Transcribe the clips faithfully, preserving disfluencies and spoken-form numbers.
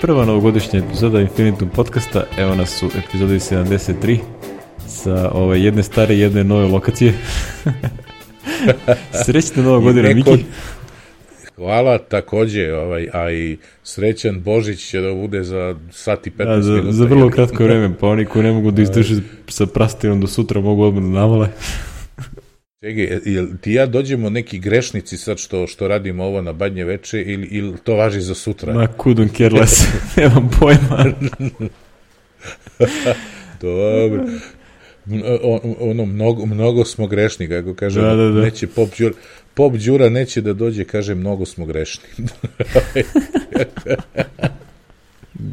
Prva novogodišnja epizoda Infinitum podcasta, evo nas u epizodi sedamdeset tri sa ove jedne stare i jedne nove lokacije. Srećna nova godina, neko... Miki. Hvala, takođe, ovaj, a i srećan Božić će da bude za sat i petnaest da, za, minuta. Za vrlo kratko vreme, pa oni koji ne mogu da izdrže sa prastinom do sutra mogu odmah da navale. Čekaj, jel ti ja dođemo neki grešnici sad što, što radimo ovo na Badnje veče ili, ili to važi za sutra? Ma couldn't care less, nemam pojma. Dobro. Ono, mnogo, mnogo smo grešni, kako kaže, da, da, da. Neće Pop Đura, Pop Đura neće da dođe, kaže, mnogo smo grešni.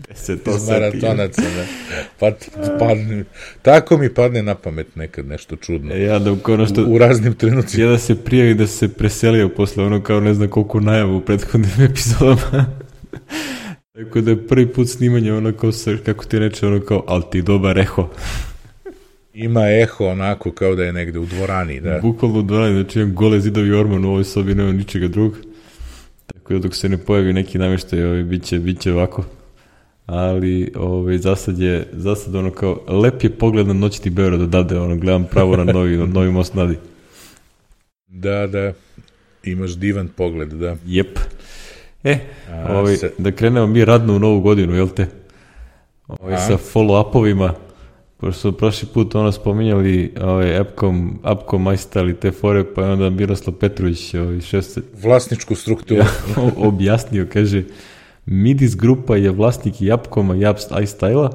Deset Iz maratonaca, ne. Pa, padne, tako mi padne na pamet nekad nešto čudno. E, ja da ono što, u, u raznim trenucima. Ja da se prijavi da se preselio posle ono kao ne znam koliko najavu u prethodnim epizodama. Tako da je prvi put snimanje ono kao, kako ti reče, ono kao, ali ti dobar eho. Ima eho onako kao da je negde u dvorani, da. Bukvalno u dvorani, znači imam gole zidovi orman u ovoj sobi, nema ničega drugog. Tako da dok se ne pojavi neki namještaj, ovaj, bit će, bit će ovako. Ali ovaj, za sad je, za sad ono kao, lep je pogled na noćni Beograd odavde, ono, gledam pravo na novi, na novi most Nadi. Da, da, imaš divan pogled, da. Jep. E, A, ovaj, se... da krenemo mi radno u novu godinu, jel te? Ovaj, sa follow-upovima, pošto su prošli put ono spominjali ovaj, Appcom, Appcom iStyle i te fore, pa je onda Miroslav Petrović ovaj, šest... vlasničku strukturu ja, objasnio, kaže, Midis grupa je vlasnik i Appcoma i iStyle-a,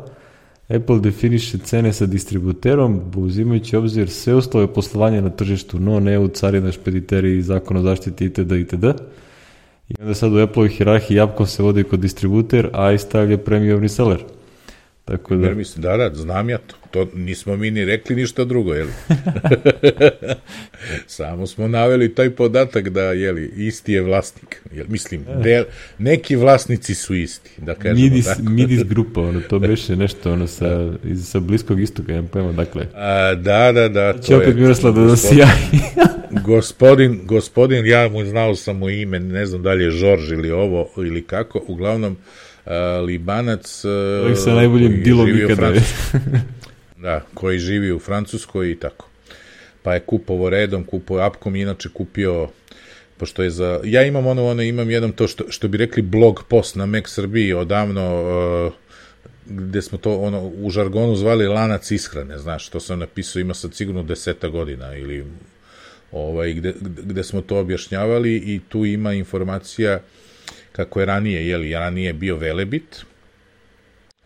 Apple definiše cene sa distributerom, uzimajući obzir sve uslove poslovanja na tržištu, no ne u carina, špediteri i zakon o zaštiti itd. itd. I onda sad u Apple-ovoj hirarhiji Appcom se vodi kod distributer, a iStyle je premium reseller. Tako da... Da, da, znam ja to. To nismo mi ni rekli ništa drugo, jel? Samo smo naveli taj podatak da, jeli, isti je vlasnik. Jel, mislim, del, neki vlasnici su isti, da kažemo Midis, tako. Midis grupa, ono, to beše nešto, ono, sa, iz, sa Bliskog istoka, ja pojma, dakle. A, da, da, da. Će opet Miroslav da dosijaji. Gospodin, gospodin, ja mu znao sam mu ime, ne znam da li je Žorž ili ovo, ili kako, uglavnom, Uh, Libanac uh, koji sa najboljim dilom ikada da, koji živi u Francuskoj i tako. Pa je kupovo redom, kupovao Appcom, inače kupio, pošto je za, ja imam ono, ono imam jedan to što, što bi rekli blog post na Mac Srbiji odavno, uh, gde smo to ono u žargonu zvali lanac ishrane, znaš, to sam napisao, ima sad sigurno deseta godina ili ovaj, gde, gde smo to objašnjavali i tu ima informacija kako je ranije, jeli, ranije bio Velebit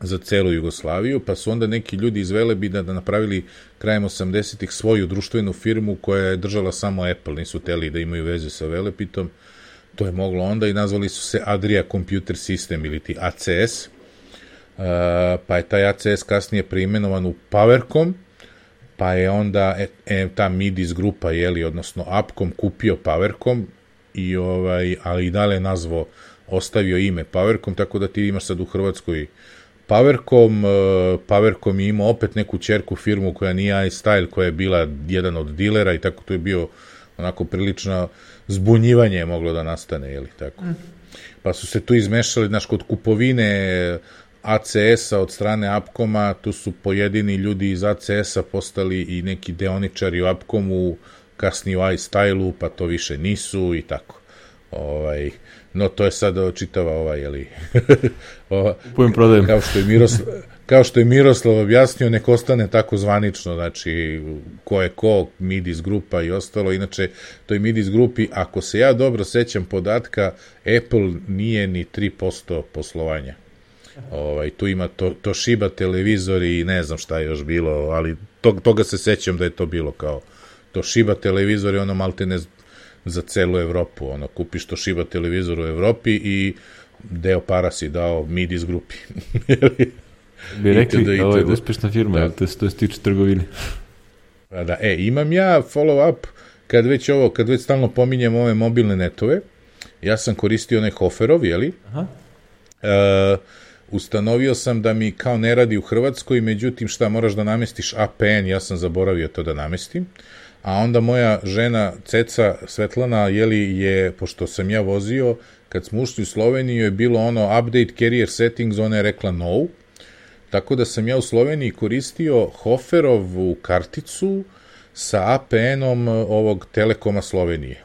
za celu Jugoslaviju, pa su onda neki ljudi iz Velebita da napravili krajem osamdesetih svoju društvenu firmu koja je držala samo Apple, nisu teli da imaju veze sa Velebitom, to je moglo onda i nazvali su se Adria Computer System ili ti A C S, uh, pa je taj A C S kasnije preimenovan u Powercom, pa je onda e, e, ta Midis grupa, jeli, odnosno Appcom kupio Powercom, i ovaj, ali i dalje nazvao, ostavio ime Powercom, tako da ti imaš sad u Hrvatskoj Powercom, uh, Powercom je imao opet neku ćerku firmu koja nije iStyle, koja je bila jedan od dilera i tako to je bio onako prilično zbunjivanje je moglo da nastane, jeli, tako. Mm. Pa su se tu izmešali, znaš, kod kupovine A C S-a od strane Appcoma, tu su pojedini ljudi iz A C S-a postali i neki deoničari u Appcomu, kasnije u iStyle-u, pa to više nisu i tako. Ovaj, no, to je sad čitava ova, jeli, ova, kao što je Miroslav, kao što je Miroslav objasnio, nek ostane tako zvanično, znači, ko je ko, Midis grupa i ostalo, inače, to je Midis grupi, ako se ja dobro sećam podatka, Apple nije ni tri posto poslovanja. Ovaj, tu ima to, Toshiba televizori i ne znam šta je još bilo, ali to, toga se sećam da je to bilo kao Toshiba televizor je ono maltene za celu Evropu, ono, kupiš Toshiba televizor u Evropi i deo para si dao Midis grupi. Bi rekli, ovo je uspešna firma, da. To, to se tiče trgovine. Pa da, e, imam ja follow-up, kad već ovo, kad već stalno pominjem ove mobilne netove, ja sam koristio onaj Hoferov, jeli? Aha. E, ustanovio sam da mi kao ne radi u Hrvatskoj, međutim šta moraš da namestiš A P N, ja sam zaboravio to da namestim, a onda moja žena Ceca Svetlana, jeli, je, pošto sam ja vozio, kad smo ušli u Sloveniju je bilo ono update carrier settings, ona je rekla no, tako da sam ja u Sloveniji koristio Hoferovu karticu sa A P N-om ovog Telekoma Slovenije.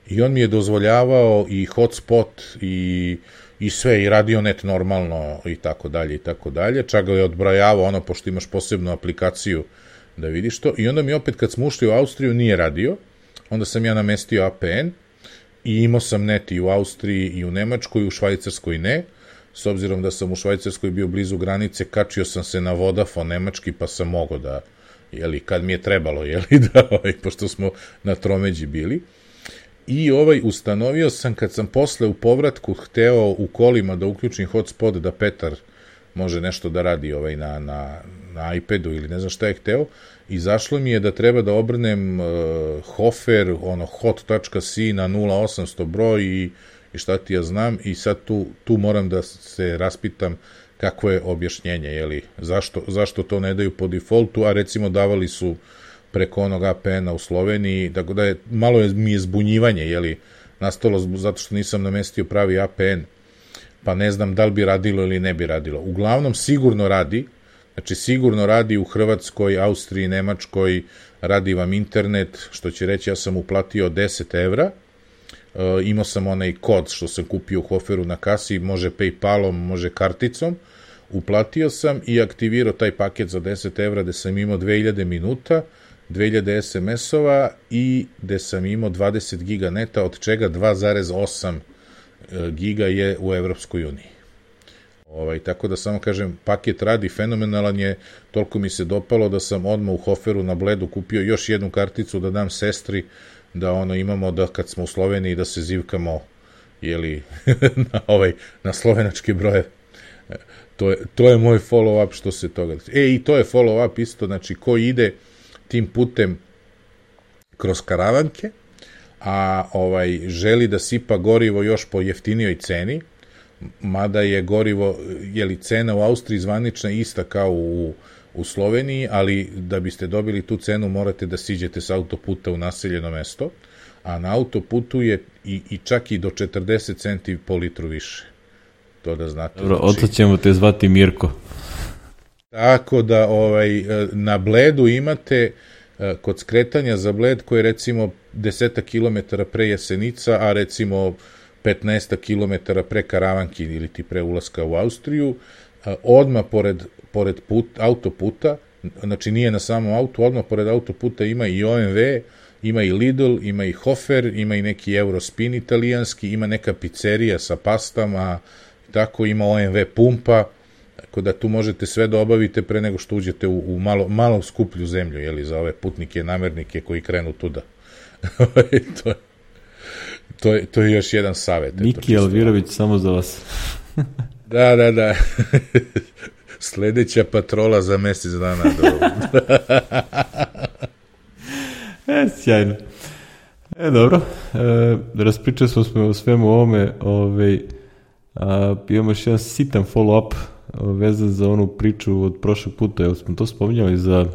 I on mi je dozvoljavao i hotspot i, i sve, i radionet normalno i tako dalje i tako dalje. Čak ga je odbrojavao ono, pošto imaš posebnu aplikaciju da vidiš to. I onda mi opet kad smo ušli u Austriju nije radio, onda sam ja namestio A P N i imao sam net i u Austriji i u Nemačkoj, u Švajcarskoj ne. S obzirom da sam u Švajcarskoj bio blizu granice, kačio sam se na Vodafone nemački, pa sam mogao da, jeli, kad mi je trebalo, jeli, da, ovaj, pošto smo na tromeđi bili. I ovaj, ustanovio sam, kad sam posle u povratku hteo u kolima da uključim hotspot, da Petar može nešto da radi ovaj, na, na, na iPadu ili ne znam šta je hteo, izašlo mi je da treba da obrnem uh, Hofer, ono, hot.c na nula osamsto broj i i šta ti ja znam, i sad tu, tu moram da se raspitam kakvo je objašnjenje, jeli, zašto, zašto to ne daju po defaultu, a recimo davali su preko onog A P N-a u Sloveniji, tako da je, malo je, mi je zbunjivanje, jeli, nastalo zato što nisam namestio pravi A P N, pa ne znam da li bi radilo ili ne bi radilo. Uglavnom, sigurno radi, znači sigurno radi u Hrvatskoj, Austriji, Nemačkoj, radi vam internet, što će reći, ja sam uplatio deset evra, Uh, imao sam onaj kod što sam kupio u Hoferu na kasi, može Paypalom, može karticom, uplatio sam i aktivirao taj paket za deset evra gde sam imao dve hiljade minuta, dve hiljade es em es-ova i gde sam imao dvadeset giga neta, od čega dva zarez osam giga je u Evropskoj uniji. Ovaj, tako da samo kažem, paket radi, fenomenalan je, toliko mi se dopalo da sam odmah u Hoferu na Bledu kupio još jednu karticu da dam sestri, da ono imamo da kad smo u Sloveniji da se zivkamo, jeli, na ovaj na slovenački broje. To je, to je moj follow up što se toga. E, i to je follow up isto, znači ko ide tim putem kroz Karavanke, a ovaj želi da sipa gorivo još po jeftinijoj ceni, mada je gorivo, jeli, cena u Austriji zvanična ista kao u u Sloveniji, ali da biste dobili tu cenu morate da siđete s autoputa u naseljeno mesto, a na autoputu je i, i čak i do četrdeset centi po litru više. To da znate. Dobro, znači, oto ćemo te zvati Mirko. Tako da ovaj, na Bledu imate kod skretanja za Bled koji je recimo deset kilometara pre Jesenica, a recimo petnaest kilometara pre Karavanki ili ti pre ulaska u Austriju, odmah pored pored put, autoputa, znači nije na samom autu, odmah pored autoputa ima i O M V, ima i Lidl, ima i Hofer, ima i neki Eurospin italijanski, ima neka pizzerija sa pastama, tako ima O M V pumpa, tako da tu možete sve da obavite pre nego što uđete u, u malo, malo skuplju zemlju, jeli, za ove putnike, namernike koji krenu tuda. to, to, je, to je još jedan savjet. Niki Alvirović samo za vas. Da, da, da. Sledeća patrola za mesec dana. e, sjajno. E, dobro. E, raspričali smo smo o svemu ovome. Ove, a, imamo još jedan sitan follow-up vezan za onu priču od prošlog puta. Evo smo to spominjali za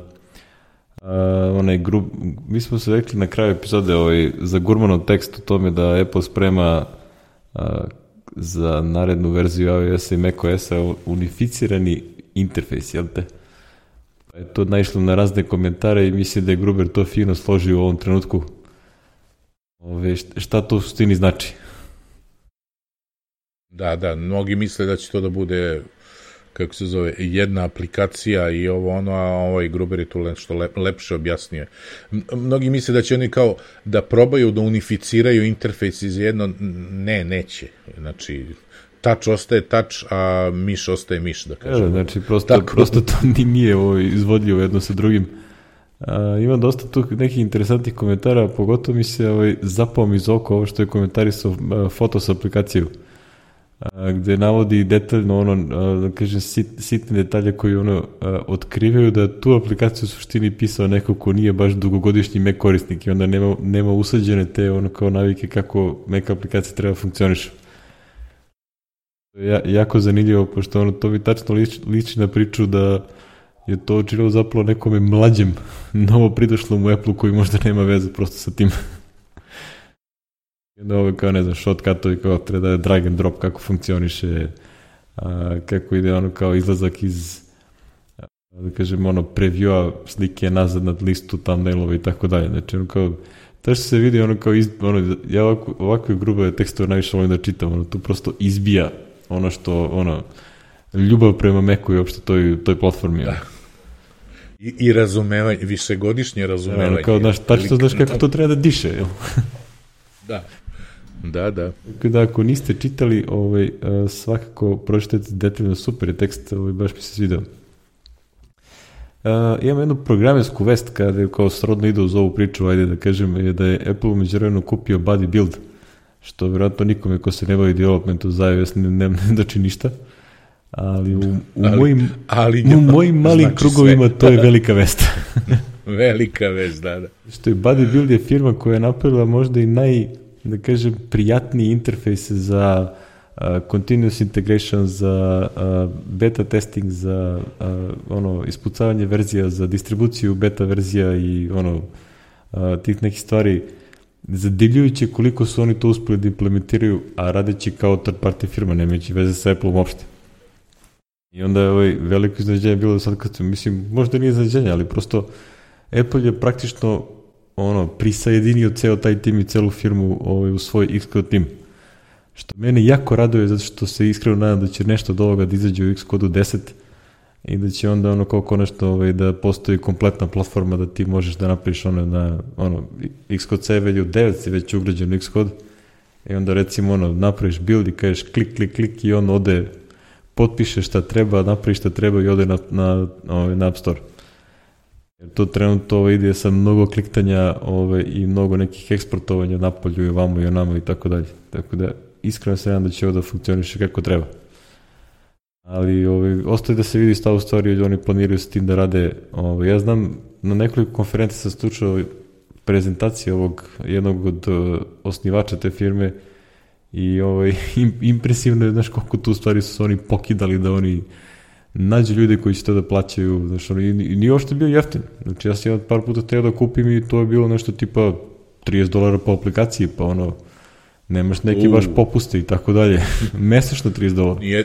a, onaj grup. Mi smo se rekli na kraju epizode ovaj, za Gurmanov tekst o tome da Apple sprema a, za narednu verziju iOS-a i macOS-a unificirani interfejs, jel te? Pa je to naišlo na razne komentare i mislim da je Gruber to fino složio u ovom trenutku. Ove, šta to u suštini znači? Da, da, mnogi misle da će to da bude, kako se zove, jedna aplikacija i ovo ono, a ovaj Gruber je tu nešto lep, lepše objasnio. Mnogi misle da će oni kao da probaju da unificiraju interfejs iz jedno, ne, neće. Znači, touch ostaje touch, a miš ostaje miš, da kažem. E, znači, prosto, prosto to nije ovo izvodljivo jedno sa drugim. A, ima dosta tu nekih interesantnih komentara, pogotovo mi se ovaj, zapao mi iz oko ovo što je komentarisao Fotos aplikaciju, a, gde navodi detaljno ono, a, da kažem, sit, sitne detalje koji ono a, otkrivaju da tu aplikaciju u suštini pisao neko ko nije baš dugogodišnji Mac korisnik i onda nema, nema usađene te ono kao navike kako Mac aplikacija treba funkcioniš. Ja, jako zanimljivo, pošto ono, to bi tačno liči, liči na priču da je to učinilo zapravo nekome mlađem, novo pridošlom u Apple-u koji možda nema veze prosto sa tim. I onda ovo kao, ne znam, shortcutovi kao treba da je drag and drop, kako funkcioniše, a, kako ide ono kao izlazak iz, da kažem, ono, previewa slike nazad nad listu, thumbnailova i tako dalje. Znači, ono kao, to što se vidi, ono kao, iz, ono, ja ovako, ovakve grube tekstove najviše volim da čitam, ono, tu prosto izbija ono što, ono, ljubav prema Macu i uopšte toj, toj platformi. Da. I, i razumevanje, višegodišnje razumevanje. Ono, kao, znaš, tačno znaš kako to treba da diše, jel? Da. Da, da. Tako da, ako niste čitali, ovaj, svakako pročitajte detaljno, super je tekst, ovaj, baš mi se svidao. Uh, imam jednu programersku vest kada je kao srodno ide uz ovu priču, ajde da kažem, je da je Apple u međuvremenu kupio BuddyBuild, što vjerojatno nikome ko se ne bavi developmentu za iOS ne, ne, ne doči ništa, ali u, u ali, mojim, ali u mojim malim znači krugovima sve. To je velika vest. Velika vest, da, da. Što je BuddyBuild je firma koja je napravila možda i naj, da kažem, prijatniji interfejs za Uh, continuous integration, za uh, beta testing, za uh, ono ispucavanje verzija, za distribuciju beta verzija i ono uh, tih nekih stvari, zadivljujuće koliko su oni to uspeli da implementiraju, a radeći kao third party firma, nemajući veze sa Apple-om uopšte. I onda je ovaj veliko iznenađenje bilo sad kad, mislim, možda nije iznenađenje, ali prosto Apple je praktično ono prisajedinio ceo taj tim i celu firmu ovaj, u svoj Xcode tim. Što mene jako raduje, zato što se iskreno nadam da će nešto od ovoga da izađe u Xcode deset i da će onda ono kao konačno ovaj, da postoji kompletna platforma da ti možeš da napraviš ono na ono, Xcode sedam ili devet je već ugrađen u Xcode i onda recimo ono napraviš build i kažeš klik, klik, klik i on ode, potpiše šta treba, napravi šta treba i ode na, na, ovaj, na App Store. Jer to trenutno ovaj, ide sa mnogo kliktanja ovaj, i mnogo nekih eksportovanja napolju i vamo i onamo i tako dalje. Tako da iskreno se nadam da će ovo da funkcioniše kako treba. Ali ovaj, ostaje da se vidi stavu stvari, oni planiraju s tim da rade. Ovaj, ja znam, na nekoliko konferencija sam slušao prezentacije ovog jednog od uh, osnivača te firme i ovaj, im, impresivno je, znaš, koliko tu stvari su oni pokidali da oni nađu ljude koji će to da plaćaju, znaš, ono, i, i nije uopšte bio jeftin. Znači, ja sam jedan par puta teo da kupim i to je bilo nešto tipa trideset dolara po aplikaciji, pa ono, nemaš neki uh. baš popuste i tako dalje. Mesečno trideset dolara. Nije,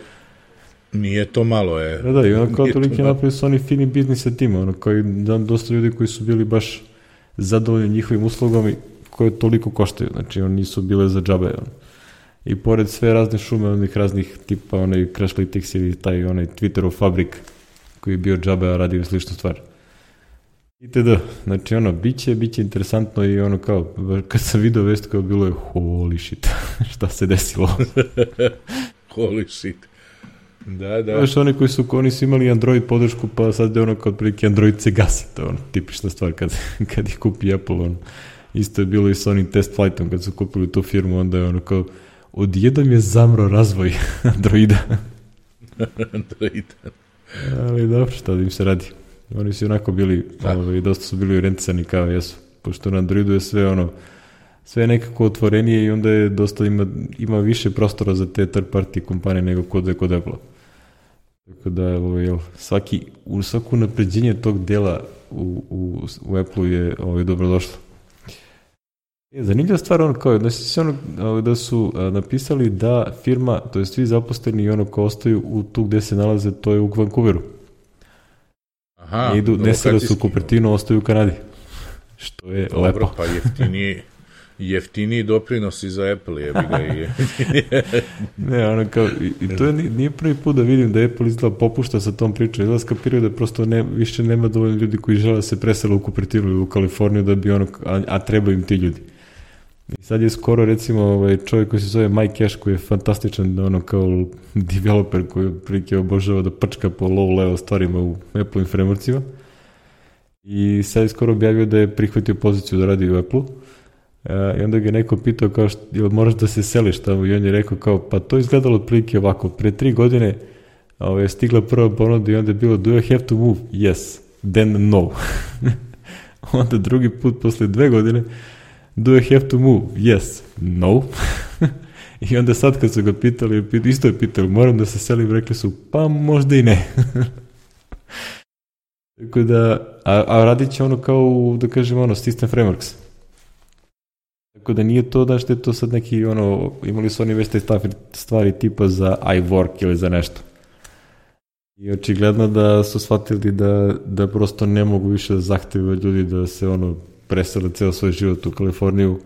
nije to malo, je. Da, da, i ono kao toliki napravili su oni fini biznis sa tima, ono kao i dosta ljudi koji su bili baš zadovoljni njihovim uslugama koje toliko koštaju, znači oni nisu bile za džabe, ono. I pored sve razne šume, onih raznih tipa, onaj Crashlytics ili taj onaj Twitterov fabrik koji je bio džabe, a radio sličnu stvar. Itd. Znači ono, bit će, bit će interesantno i ono kao, kad sam video vest kao bilo je holy shit, šta se desilo? Holy shit. Da, da. Znaš, oni koji su, oni su imali Android podršku, pa sad je ono kao otprilike Android se gasi, to je ono, tipična stvar kad, kad ih kupi Apple, ono. Isto je bilo i sa onim test flightom, kad su kupili tu firmu, onda je ono kao, odjednom je zamro razvoj Androida. Androida. Ali dobro, šta da im se radi. Oni su onako bili, ovaj, dosta su bili orijentisani kao jesu, pošto na Androidu je sve ono, sve nekako otvorenije i onda je dosta ima, ima više prostora za te third party kompanije nego kod je kod Apple. Tako da, ovaj, svaki, u svaku napređenje tog dela u, u, u Apple-u je ovaj, dobrodošlo. Je, zanimljiva stvar, ono kao, da su, ono, da su a, napisali da firma, to je svi zaposleni i ono ko ostaju u tu gde se nalaze, to je u Vancouveru. Aha, ne idu, ne sele su u Cupertinu, ostaju u Kanadi. Što je dobro, lepo. Dobro, pa jeftiniji, jeftiniji doprinosi za Apple, je bi ga i... ne, ono kao, i, i to je, nije prvi put da vidim da Apple izgleda popušta sa tom pričom. Izgleda skapiraju da prosto ne, više nema dovoljno ljudi koji žele da se presele u Cupertinu ili u Kaliforniju da bi ono, a, a treba im ti ljudi. I sad je skoro, recimo, ovaj čovjek koji se zove Mike Cash, koji je fantastičan, ono, kao developer koji prilike obožava da prčka po low-level stvarima u Apple-im frameworkcima. I sad je skoro objavio da je prihvatio poziciju da radi u Apple-u. E, I onda ga je neko pitao kao, što, jel moraš da se seliš tamo? I on je rekao kao, pa to izgledalo otprilike ovako. Pre tri godine ovaj, je stigla prva ponuda i onda je bilo, do you have to move? Yes. Then no. Onda drugi put, posle dve godine, do you have to move? Yes. No. I onda sad kad su ga pitali, isto je pitali, moram da se selim, rekli su, pa možda i ne. Tako da, a, a radit će ono kao, da kažem, ono, System Frameworks. Tako da nije to da što je to sad neki, ono, imali su oni već te stvari tipa za iWork ili za nešto. I očigledno da su shvatili da, da prosto ne mogu više da zahtevaju ljudi da se ono presele ceo svoj život u Kaliforniju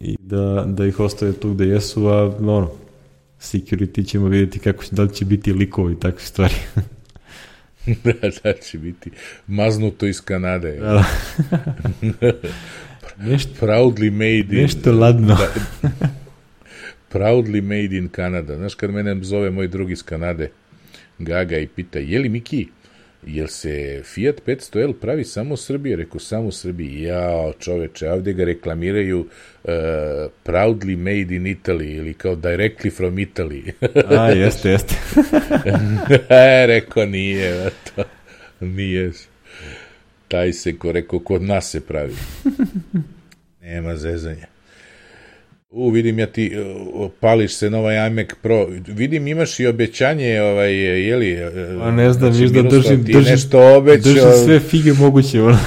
i da, da ih ostave tu gde jesu, a ono, security ćemo vidjeti kako će, da li će biti likovi i takve stvari. da, da će biti maznuto iz Kanade. Da. nešto, proudly made in... Nešto ladno. da, proudly made in Canada. Znaš, kad mene zove moj drug iz Kanade, Gaga, i pita, je li Miki, jel se Fiat petsto L pravi samo u Srbiji? Rekao, samo u Srbiji. Jao, čoveče, ovdje ga reklamiraju uh, proudly made in Italy ili kao directly from Italy. A, jeste, jeste. Rekao, nije, to, nije. Taj se, ko rekao, kod nas se pravi. Nema zezanja. U, vidim ja ti, uh, pališ se na ovaj iMac Pro. Vidim, imaš i obećanje, ovaj, jeli? A ne znam, znači, viš da držim, ti držim, nešto obećao, držim sve fige moguće. Ono.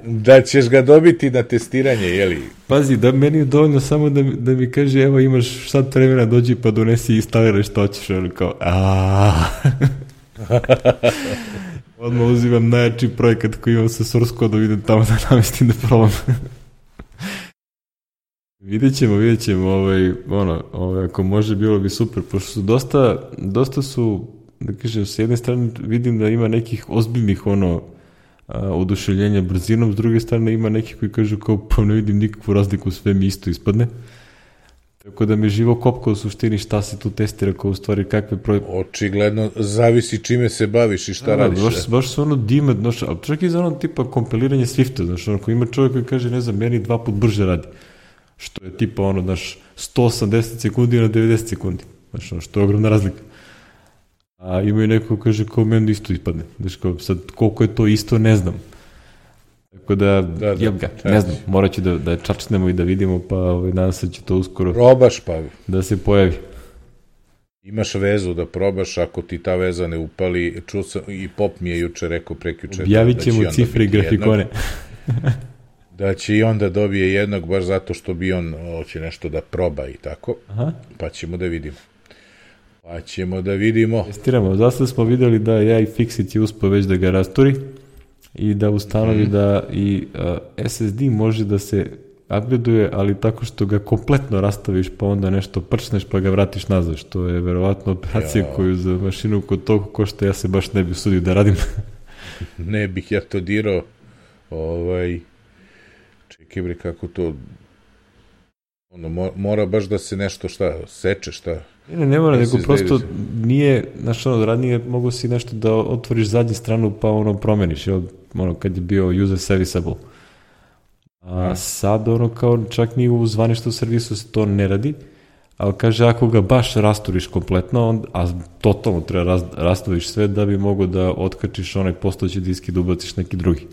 da ćeš ga dobiti na testiranje, jeli? Pazi, da meni je dovoljno samo da, da mi kaže, evo imaš sad vremena, dođi pa donesi i instaliraj što hoćeš. Ono kao, aaa. Odmah uzimam najjači projekat koji imam sa source kodom, idem tamo da namestim da probam. Vidjet ćemo, vidjet ćemo, ovaj, ono, ovaj, ako može bilo bi super, pošto su dosta, dosta su, da kažem, s jedne strane vidim da ima nekih ozbiljnih, ono, a, oduševljenja brzinom, s druge strane ima nekih koji kažu kao, pa ne vidim nikakvu razliku, sve mi isto ispadne. Tako da me živo kopka u suštini šta se tu testira, kao u stvari kakve proje... Očigledno, zavisi čime se baviš i šta da, radiš. Baš, baš su ono dime, znaš, ali čak i za ono tipa kompiliranje Swifta, znaš, ono, ako ima čovjek koji kaže, ne znam, meni dva put brže radi. Što je tipa ono, znaš, sto osamdeset sekundi na devedeset sekundi. Znaš, ono, što je ogromna razlika. A ima i neko kaže kao meni isto ispadne. Znaš, kao sad koliko je to isto, ne znam. Tako da, da, da ga, ne znam, morat ću da, da čačnemo i da vidimo, pa ovaj, nadam se će to uskoro probaš, pa da se pojavi. Imaš vezu da probaš, ako ti ta veza ne upali, čuo sam, i Pop mi je juče rekao prekjuče. Objavit ćemo da cifre i grafikone. Da će i on da dobije jednog, baš zato što bi on hoće nešto da proba i tako. Aha. Pa ćemo da vidimo. Pa ćemo da vidimo. Testiramo. Zasad smo videli da je iFixit je uspio već da ga rasturi i da ustanovi mm. da i uh, S S D može da se upgradeuje, ali tako što ga kompletno rastaviš, pa onda nešto prčneš pa ga vratiš nazad, što je verovatno operacija ja. koju za mašinu kod toga košta, ja se baš ne bih usudio da radim. Ne bih ja to dirao. Ovaj... Čekaj bre, kako to... Ono, mora baš da se nešto šta, seče, šta... Ne, ne mora, nego prosto nije, znaš, ono, radnije mogu si nešto da otvoriš zadnju stranu pa ono promeniš, jel, ono, kad je bio user serviceable. A sad, ono, kao čak ni u zvaničnom servisu se to ne radi, ali kaže, ako ga baš rasturiš kompletno, on, a totalno treba raz, rasturiš sve da bi mogo da otkačiš onaj postojeći disk i da ubaciš neki drugi.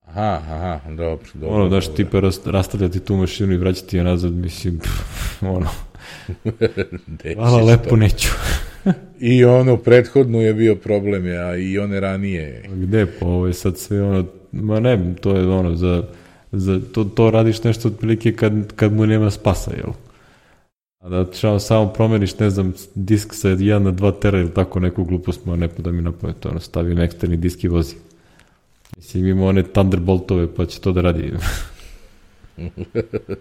Aha, aha, dobro, dobro. Ono, daš, tipa rast, rastavljati tu mašinu i vraćati je nazad, mislim, pff, ono, hvala lepo, to. Neću. I ono, prethodno je bio problem, a i one ranije. Gde, pa ovo je sad sve ono, ma ne, to je ono, za, za to, to radiš nešto otprilike kad, kad mu nema spasa, jel? A da čao, samo promeniš, ne znam, disk sa jedan na dva tera ili tako neku glupost, ma ne da mi napamet, ono, stavim eksterni disk i vozi. Mislim, ima one Thunderboltove, pa će to da radi.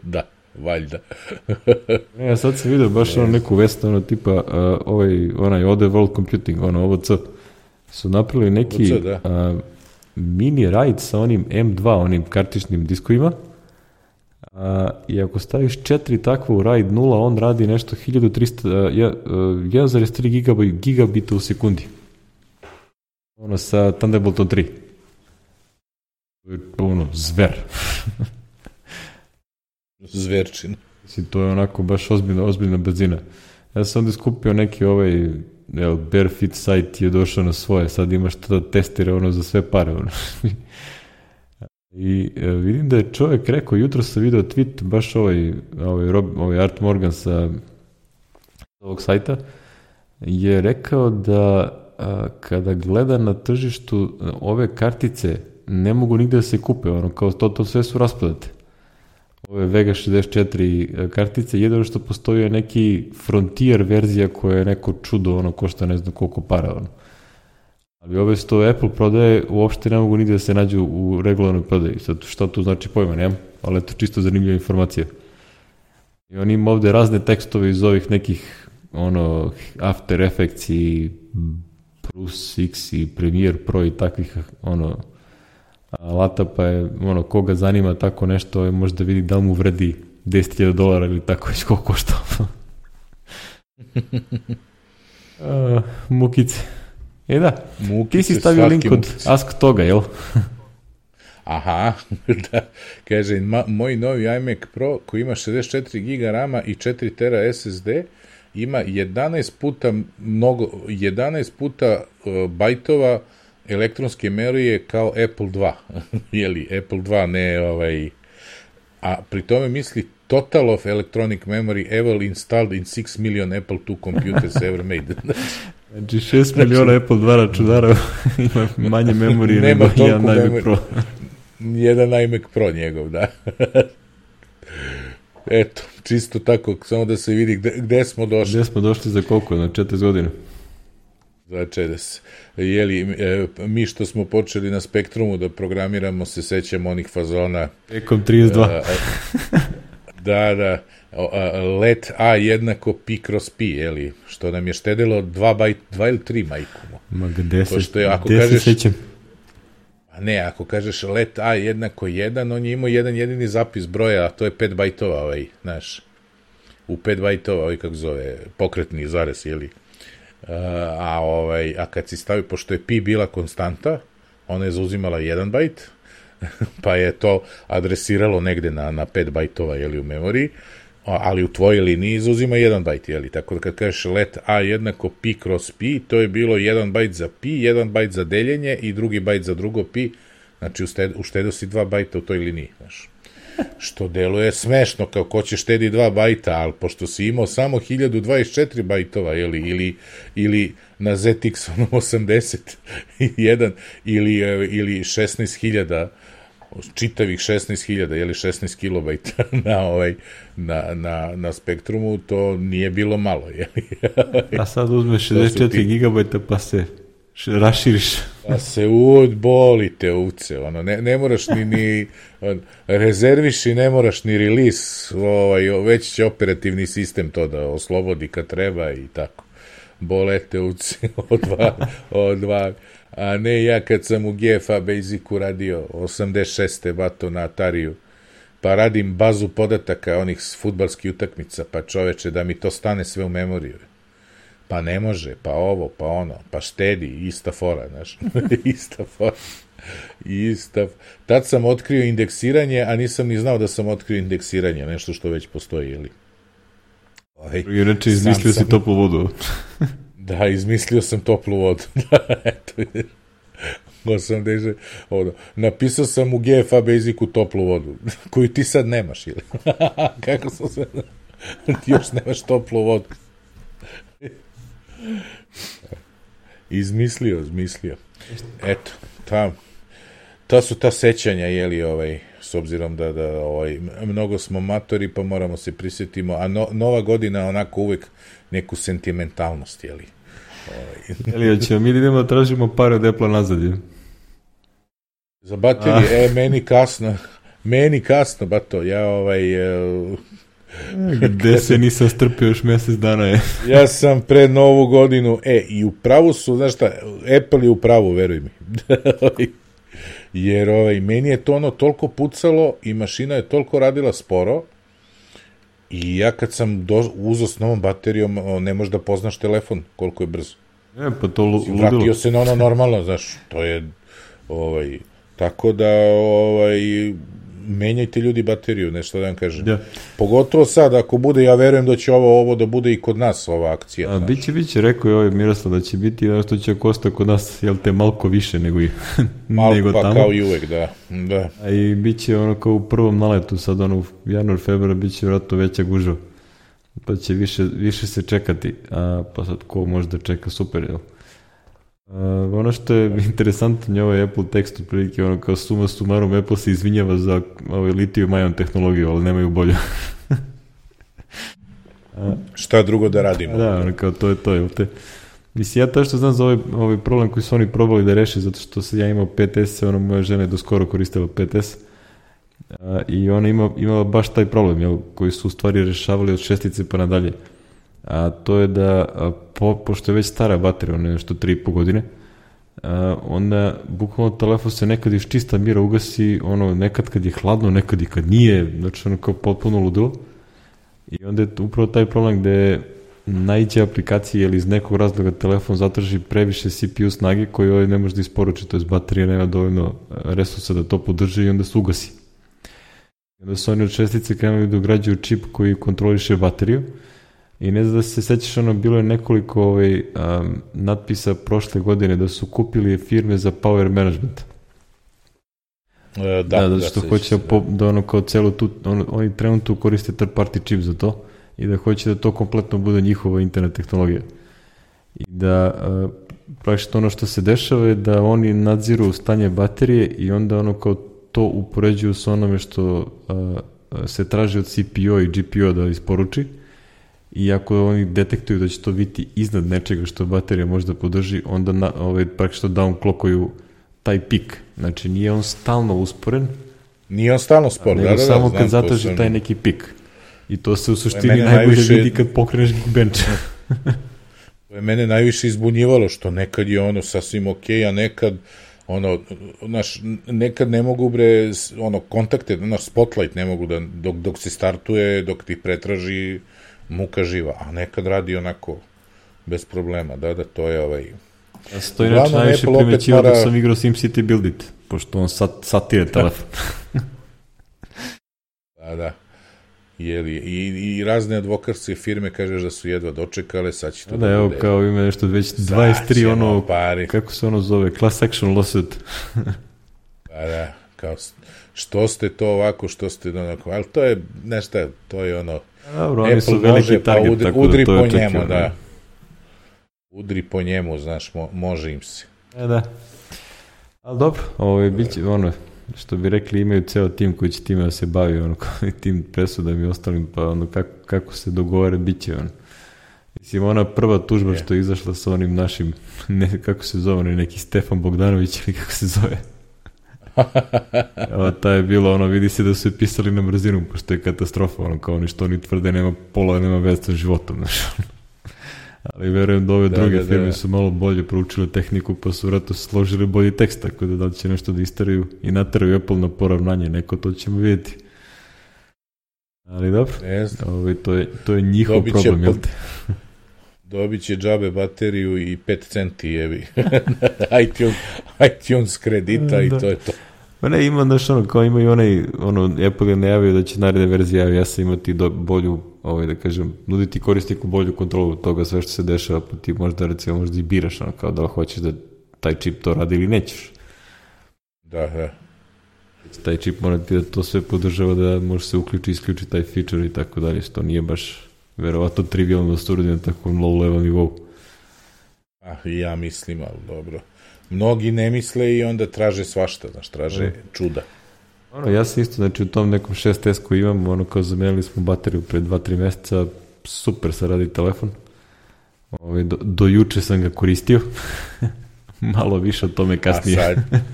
Da, valjda. Ne, ja sad sam vidio baš ono neku vest, ono tipa, uh, ovaj, onaj O D World Computing, ono, O V C, su napravili neki O V C, da. uh, mini RAID sa onim M dva, onim kartičnim diskovima, uh, i ako staviš četiri takva u RAID nula, on radi nešto hiljadu trista, uh, jedan zarez tri gigabita u sekundi. Ono, sa Thunderboltom tri. Ono, zver. Zverčina. Mislim, to je onako baš ozbiljna, ozbiljna brzina. Ja sam onda skupio neki ovaj, jel, Barefit sajt je došao na svoje, sad imaš tada testire ono za sve pare. Ono. I e, vidim da je čovjek rekao, jutro sam video tweet, baš ovaj, ovaj, Rob, ovaj Art Morgan sa ovog sajta, je rekao da a, kada gleda na tržištu ove kartice ne mogu nigde da se kupe, ono, kao to, to sve su rasprodate. ove Vega šezdeset četiri kartice, jedino što postoji je neki Frontier verzija koja je neko čudo, ono, košta ne znam koliko para, ono. Ali ove što Apple prodaje uopšte ne mogu nigde da se nađu u regularnoj prodaji. Sad, šta to znači pojma, nemam, ali eto čisto zanimljiva informacija. I on ima ovde razne tekstove iz ovih nekih, ono, After Effects i Plus X i Premiere Pro i takvih, ono, alata, pa je, ono, koga zanima tako nešto, možda vidi da li mu vredi deset hiljada dolara ili tako već koliko košta. uh, mukice. E da, mukice, ti si stavio link od mukice. Ask toga, jel? Aha, da, kaže, ma, moj novi iMac Pro koji ima šezdeset četiri giga rama i četiri tera es es de ima jedanaest puta mnogo, jedanaest puta uh, bajtova elektronske memorije kao Apple dva. Jeli, Apple dva ne ovaj, a pri tome misli total of electronic memory ever installed in six million Apple two computers ever made. Znači šest miliona Apple dva računara ima manje memorije nego jedan iMac Pro. Jedan iMac Pro njegov, da. Eto, čisto tako, samo da se vidi gde, gde smo došli. Gde smo došli za koliko, na četrdeset godina? Za četrdeset. Jeli, e, mi što smo počeli na Spektrumu da programiramo, se sećamo onih fazona. Ekom trideset dva. A, a, da, da. A, let A jednako pi kroz pi, jeli, što nam je štedilo dva bajt, dva ili tri majku. Ma gde se, što je, ako gde kažeš, se sećam? A ne, ako kažeš let A jednako jedan, on je imao jedan jedini zapis broja, a to je pet bajtova, ovaj, znaš, u pet bajtova, ovaj, kako zove, pokretni zarez, jeli. Uh, a, ovaj, a kad si stavio, pošto je pi bila konstanta, ona je zauzimala jedan bajt, pa je to adresiralo negde na, na pet bajtova, jeli, u memoriji, ali u tvojoj liniji zauzima jedan bajt, jeli, tako da kad kažeš let A jednako pi kroz pi, to je bilo jedan bajt za pi, jedan bajt za deljenje i drugi bajt za drugo pi, znači uštedio si dva bajta u toj liniji, znaš. Što deluje smešno, kao ko će štedi dva bajta, ali pošto si imao samo hiljadu dvadeset četiri bajtova, jeli, ili, ili na Z X osamdeset jedan, ili, ili šesnaest hiljada, čitavih šesnaest hiljada, jeli šesnaest kilobajta na, ovaj, na, na, na Spektrumu, to nije bilo malo, jeli. A sad uzmeš šezdeset četiri ti... gigabajta pa se raširiš. Pa se udbolite uvce, ono, ne, ne moraš ni, ni on, rezerviš i ne moraš ni release, ovaj, već će operativni sistem to da oslobodi kad treba i tako. Bolete uvce od dva, od dva. A ne ja kad sam u G F A Basicu radio osamdeset šeste bato na Atariju, pa radim bazu podataka onih fudbalskih utakmica, pa čoveče da mi to stane sve u memoriju. Pa ne može, pa ovo, pa ono, pa štedi, ista fora, znaš, ista fora, ista. Tad sam otkrio indeksiranje, a nisam ni znao da sam otkrio indeksiranje, nešto što već postoji, ili? I reči, izmislio si toplu vodu. Da, izmislio sam toplu vodu. Eto, osamdeset, ono, napisao sam u G F A Basicu toplu vodu, koju ti sad nemaš, ili? Kako sam se... Ti još nemaš toplu vodu. Izmislio, izmislio. Eto, ta, ta su ta sećanja, jeli, ovaj, s obzirom da, da ovaj, mnogo smo matori, pa moramo se prisjetimo, a no, nova godina onako uvek neku sentimentalnost, jeli. Ovaj. Jeli, ja ćemo mi idemo da tražimo pare od Apple nazad, je? Za baterije, e, meni kasno, meni kasno, bato, ja ovaj... Uh, Gde se nisam strpio još mesec dana je. Ja sam pred novu godinu, e, i u pravu su, znaš šta, Apple je u pravu, veruj mi. Jer ovaj, meni je to ono toliko pucalo i mašina je toliko radila sporo i ja kad sam do, uzao s novom baterijom, ne možeš da poznaš telefon koliko je brzo. E, pa to ludilo. Vratio se na ono normalno, znaš, to je, ovaj, tako da, ovaj, menjajte ljudi bateriju, nešto da vam kažem. Ja. Pogotovo sad, ako bude, ja verujem da će ovo, ovo da bude i kod nas, ova akcija. A, biće, biće, rekao je ovaj Miroslav da će biti ono što će kosta kod nas, jel te, malko više nego, i, malko, nego pa, tamo. Kao i uvek, da. da. A i biće ono kao u prvom naletu, sad ono u januar, februar, biće vratno veća gužva. Pa će više, više se čekati, a pa sad ko može da čeka, super, jel? Uh, ono što je interesantno je ovaj Apple tekst otprilike, ono kao suma sumarum Apple se izvinjava za ovaj litijum ion tehnologiju, ali nemaju bolju. uh, Šta drugo da radimo? Da, ono kao to je to, jel te? Mislim, ja to što znam za ovaj, ovaj problem koji su oni probali da reše, zato što sam ja imao pet es, ono moja žena je do skoro koristila pet es, uh, i ona ima, imala baš taj problem, jel, koji su u stvari rešavali od šestice pa nadalje. A to je da, po, pošto je već stara baterija, ono je nešto tri i po godine, a, onda bukvalno telefon se nekad iz čista mira ugasi, ono, nekad kad je hladno, nekad i kad nije, znači ono kao potpuno ludilo. I onda je upravo taj problem gde naiđe aplikacije ili iz nekog razloga telefon zatraži previše C P U snage koju ovaj ne može da isporuči, to je baterija nema dovoljno resursa da to podrži i onda se ugasi. I onda su oni od šestice krenuli da ugrađuju čip koji kontroliše bateriju. I ne znam da se sećaš, ono, bilo je nekoliko ovaj, um, natpisa prošle godine da su kupili firme za power management. E, da, da, da, što da, hoće da, da ono kao celu tu, on, oni trenutno koriste third party čip za to i da hoće da to kompletno bude njihova internet tehnologija. I da uh, praktično ono što se dešava je da oni nadziru stanje baterije i onda ono kao to upoređuju sa onome što uh, se traži od C P U i G P U da isporuči. I ako oni detektuju da će to biti iznad nečega što baterija može da podrži, onda na, ovaj, praktično downclockuju taj pik. Znači, nije on stalno usporen. Nije on stalno spor, da, da, da. Samo znam, kad zatraži sam... taj neki pik. I to se u suštini najbolje najviše... vidi kad pokreneš Geekbench. To je mene najviše izbunjivalo, što nekad je ono sasvim okej, a nekad ono, znaš, nekad ne mogu bre, ono, kontakte, naš spotlight ne mogu da, dok, dok se startuje, dok ti pretraži muka živa, a nekad radi onako bez problema, da, da, to je ovaj... Ja se to inače najviše primećivao mora... da sam igrao SimCity Build It, pošto on sat, satire telefon. Da, da. Jeli, i, i razne advokatske firme kažeš da su jedva dočekale, sad će to da, da evo, bude... kao ima nešto već dvadeset tri ono, pari. Kako se ono zove, class action lawsuit. Da, da, kao, što ste to ovako, što ste onako, ali to je, nešto, to je ono, dobro, oni su veliki target, pa udri, tako udri da to po je njemu, očekivano. da. Udri po njemu, znaš, mo, može im se. E, da. Ali dobro, ovo je biće, ono, što bi rekli, imaju ceo tim koji će time da se bavi, ono, tim presudama i ostalim, pa ono, kako, kako se dogovore, bit će, ono. Mislim, ona prva tužba je. Što je izašla sa onim našim, ne, kako se zove, neki Stefan Bogdanović ili kako se zove. Evo, ta je bilo, ono, vidi se da su je pisali na brzinu, pošto je katastrofa, ono, kao oni što oni tvrde, nema pola, nema veze sa životom, znaš, ali verujem da ove da, druge da, firme da. Su malo bolje proučile tehniku, pa su vratno složili bolji tekst, tako da da li će nešto da istaraju i nataraju Apple na poravnanje, neko to ćemo vidjeti. Ali dobro, Ove, to, je, to je njihov Dobit problem, jel te? Dobit će džabe bateriju i pet centi jebi. iTunes, iTunes kredita i da. To je to. Pa ne, ima, znaš, ono, kao ima i onaj, ono, Apple je najavio da će naredne verzije javi, ja sam imati do, bolju, ovaj, da kažem, nuditi korisniku bolju kontrolu toga sve što se dešava, pa ti možda, recimo, možda i biraš, ono, kao da li hoćeš da taj čip to radi ili nećeš. Da, da. Taj čip mora ti da to sve podržava, da može se uključi, isključi taj feature i tako dalje, što nije baš verovatno trivialno da se uradi na takvom low level nivou. Ah, ja mislim, ali dobro. Mnogi ne misle i onda traže svašta, znaš, traže mm. čuda. Ono, ja sam isto, znači u tom nekom šest es koji imam, ono, kao zamenili smo bateriju pre dva tri meseca, super se radi telefon. Ove, do, do juče sam ga koristio, malo više o tome kasnije. A sad,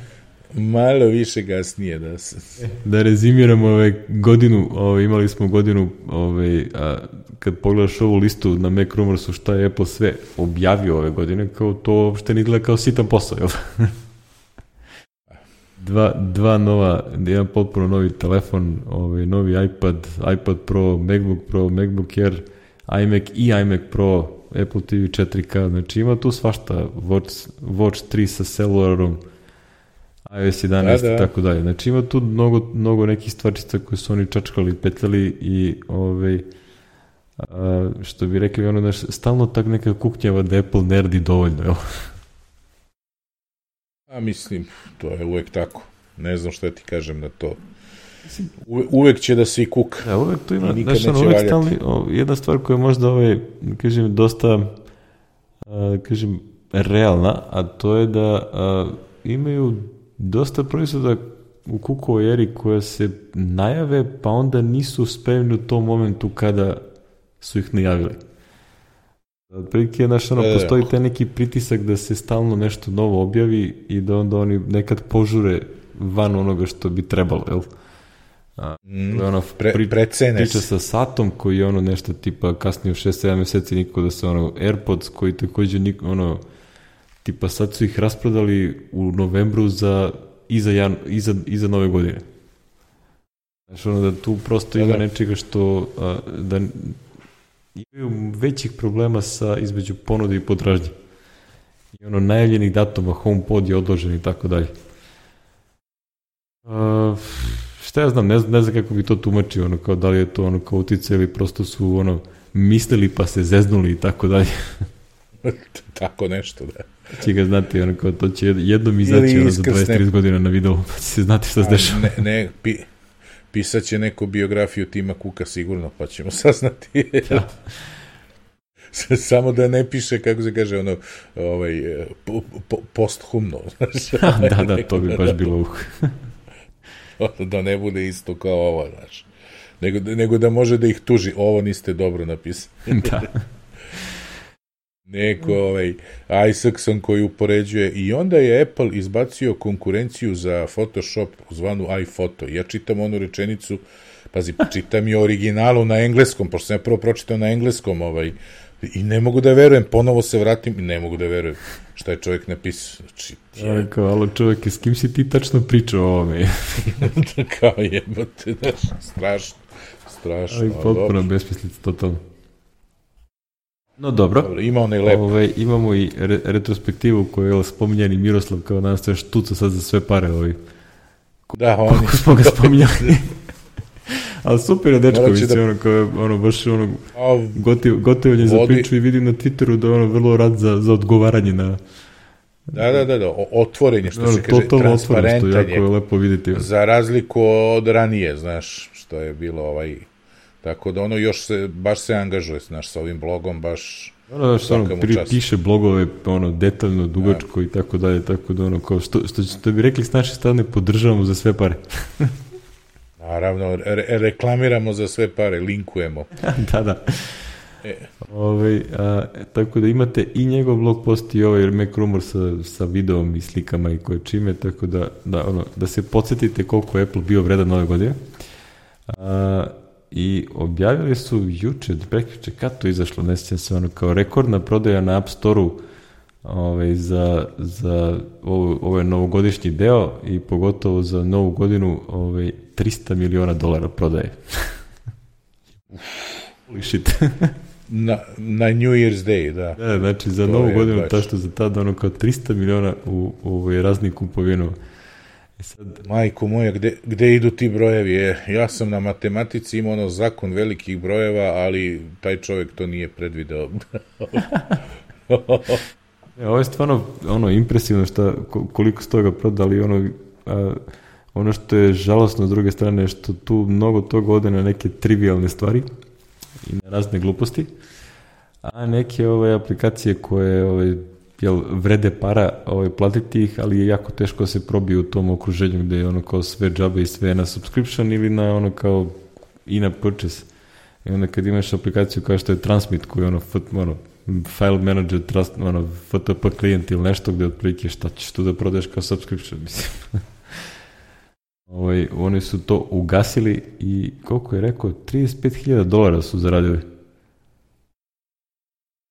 malo više kasnije, da se... Da rezimiramo ove godinu, ove, imali smo godinu, ove, a, kad pogledaš ovu listu na Mac Rumorsu šta je Apple sve objavio ove godine, kao to uopšte ne gleda kao sitan posao, jel? dva, dva nova, jedan potpuno novi telefon, ovaj, novi iPad, iPad Pro, MacBook Pro, MacBook Air, iMac i iMac Pro, Apple T V četiri K, znači ima tu svašta, Watch, Watch tri sa celularom, iOS jedanaest da, da. I tako dalje. Znači ima tu mnogo, mnogo nekih stvarčica koje su oni čačkali, petljali i ovaj, a, što bi rekli, ono, znaš, stalno tak neka kuknjava da Apple ne radi dovoljno, jel? A mislim, to je uvek tako. Ne znam šta ti kažem na to. Uve, uvek će da svi kuka. Da, uvek tu ima, znaš, ono, uvek stalni, o, jedna stvar koja je možda, ovaj, kažem, dosta, a, kažem, realna, a to je da a, imaju dosta proizvoda u Cookovoj eri koja se najave, pa onda nisu spremni u tom momentu kada su ih najavili. Otprilike, znaš, ono, postoji taj neki pritisak da se stalno nešto novo objavi i da onda oni nekad požure van onoga što bi trebalo, jel? A, mm, ono, pre, pri, priča sa Satom koji je ono nešto tipa kasnije u šest sedam mjeseci niko da se ono AirPods koji također niko, ono tipa sad su ih rasprodali u novembru za iza, jan, iza, iza nove godine. Znači ono da tu prosto ima nečega što a, da imaju većih problema sa između ponude i potražnje. I ono najavljenih datuma, HomePod je odložen i tako dalje. Uh, šta ja znam, ne znam, ne znam kako bi to tumačio, ono, kao da li je to ono kao utice ili prosto su ono mislili pa se zeznuli i tako dalje. Tako nešto, da. Će ga znati, ono kao to će jednom izaći ono, za dvadeset trideset godina na videu, pa će se znati šta se dešava. Ne, ne, pi, pisat će neku biografiju Tima Cooka sigurno, pa ćemo saznati. Ja. Samo da ne piše, kako se kaže, ono, ovaj, po, po, posthumno. Da, da, to bi baš bilo uh. Da ne bude isto kao ovo, znaš. Nego, nego da može da ih tuži. Ovo niste dobro napisali. Da. Neko, ovaj, Isaacson koji upoređuje. I onda je Apple izbacio konkurenciju za Photoshop zvanu iPhoto. Ja čitam onu rečenicu, pazi, čitam i originalu na engleskom, pošto sam ja prvo pročitao na engleskom, ovaj, i ne mogu da verujem, ponovo se vratim i ne mogu da verujem šta je čovjek napisao. Znači, je... Kao, alo čovjek, s kim si ti tačno pričao o ovome? Kao jebote, znaš, strašno, strašno. Ali potpuno besmislica, totalno. No dobro, dobro ima onaj lep. Ove, imamo i re, retrospektivu koju je spominjani Miroslav kao nas sve štuca sad za sve pare. Ovaj. Da, oni. Koliko smo ga spominjali. Ali super je dečko, mislim, da... ono, kao, ono, baš ono, gotiv, gotivanje za priču i vidim na Twitteru da je ono vrlo rad za, za odgovaranje na... Da, da, da, da, otvorenje, što no, se kaže, transparentan je, jako je lepo vidjeti. Za razliku od ranije, znaš, što je bilo ovaj... Tako da ono još se, baš se angažuje, znaš, sa ovim blogom, baš... Ono, što ono, pri, piše blogove, ono, detaljno, dugačko ja. I tako dalje, tako da ono, kao, što, što, što bi rekli s naše strane, podržavamo za sve pare. Naravno, re- reklamiramo za sve pare, linkujemo. Da, da. E. Ove, a, tako da imate i njegov blog post i ovaj Mac Rumor sa, sa videom i slikama i koje čime, tako da, da, ono, da se podsjetite koliko je Apple bio vredan ove godine. A, I objavili su juče, prekjuče, kad to izašlo, ne sjećam se, ono, kao rekordna prodaja na App Store-u ovaj, za, za ovo, ovo je novogodišnji deo i pogotovo za novu godinu ovaj, trista miliona dolara prodaje. Holy shit. na, na New Year's Day, da. Da, znači za to novu godinu, ta što za tada ono kao trista miliona u, u, u raznih kupovinova. Sad... Majko moja, gde, gde idu ti brojevi? E, ja sam na matematici imao ono zakon velikih brojeva, ali taj čovjek to nije predvideo. E, ovo je stvarno ono, impresivno šta, koliko ste toga prodali. Ono, a, ono što je žalosno s druge strane je što tu mnogo toga ode na neke trivialne stvari i na razne gluposti, a neke ove aplikacije koje ove, jel, vrede para ovaj, platiti ih, ali je jako teško se probiju u tom okruženju gde je ono kao sve džabe i sve na subscription ili na ono kao in-app purchase. I onda kad imaš aplikaciju kao što je Transmit koji je ono, ono file manager, trust, ono, F T P klijent ili nešto gde otprilike šta ćeš tu da prodaješ kao subscription, mislim. ovaj, oni su to ugasili i koliko je rekao, trideset pet hiljada dolara su zaradili.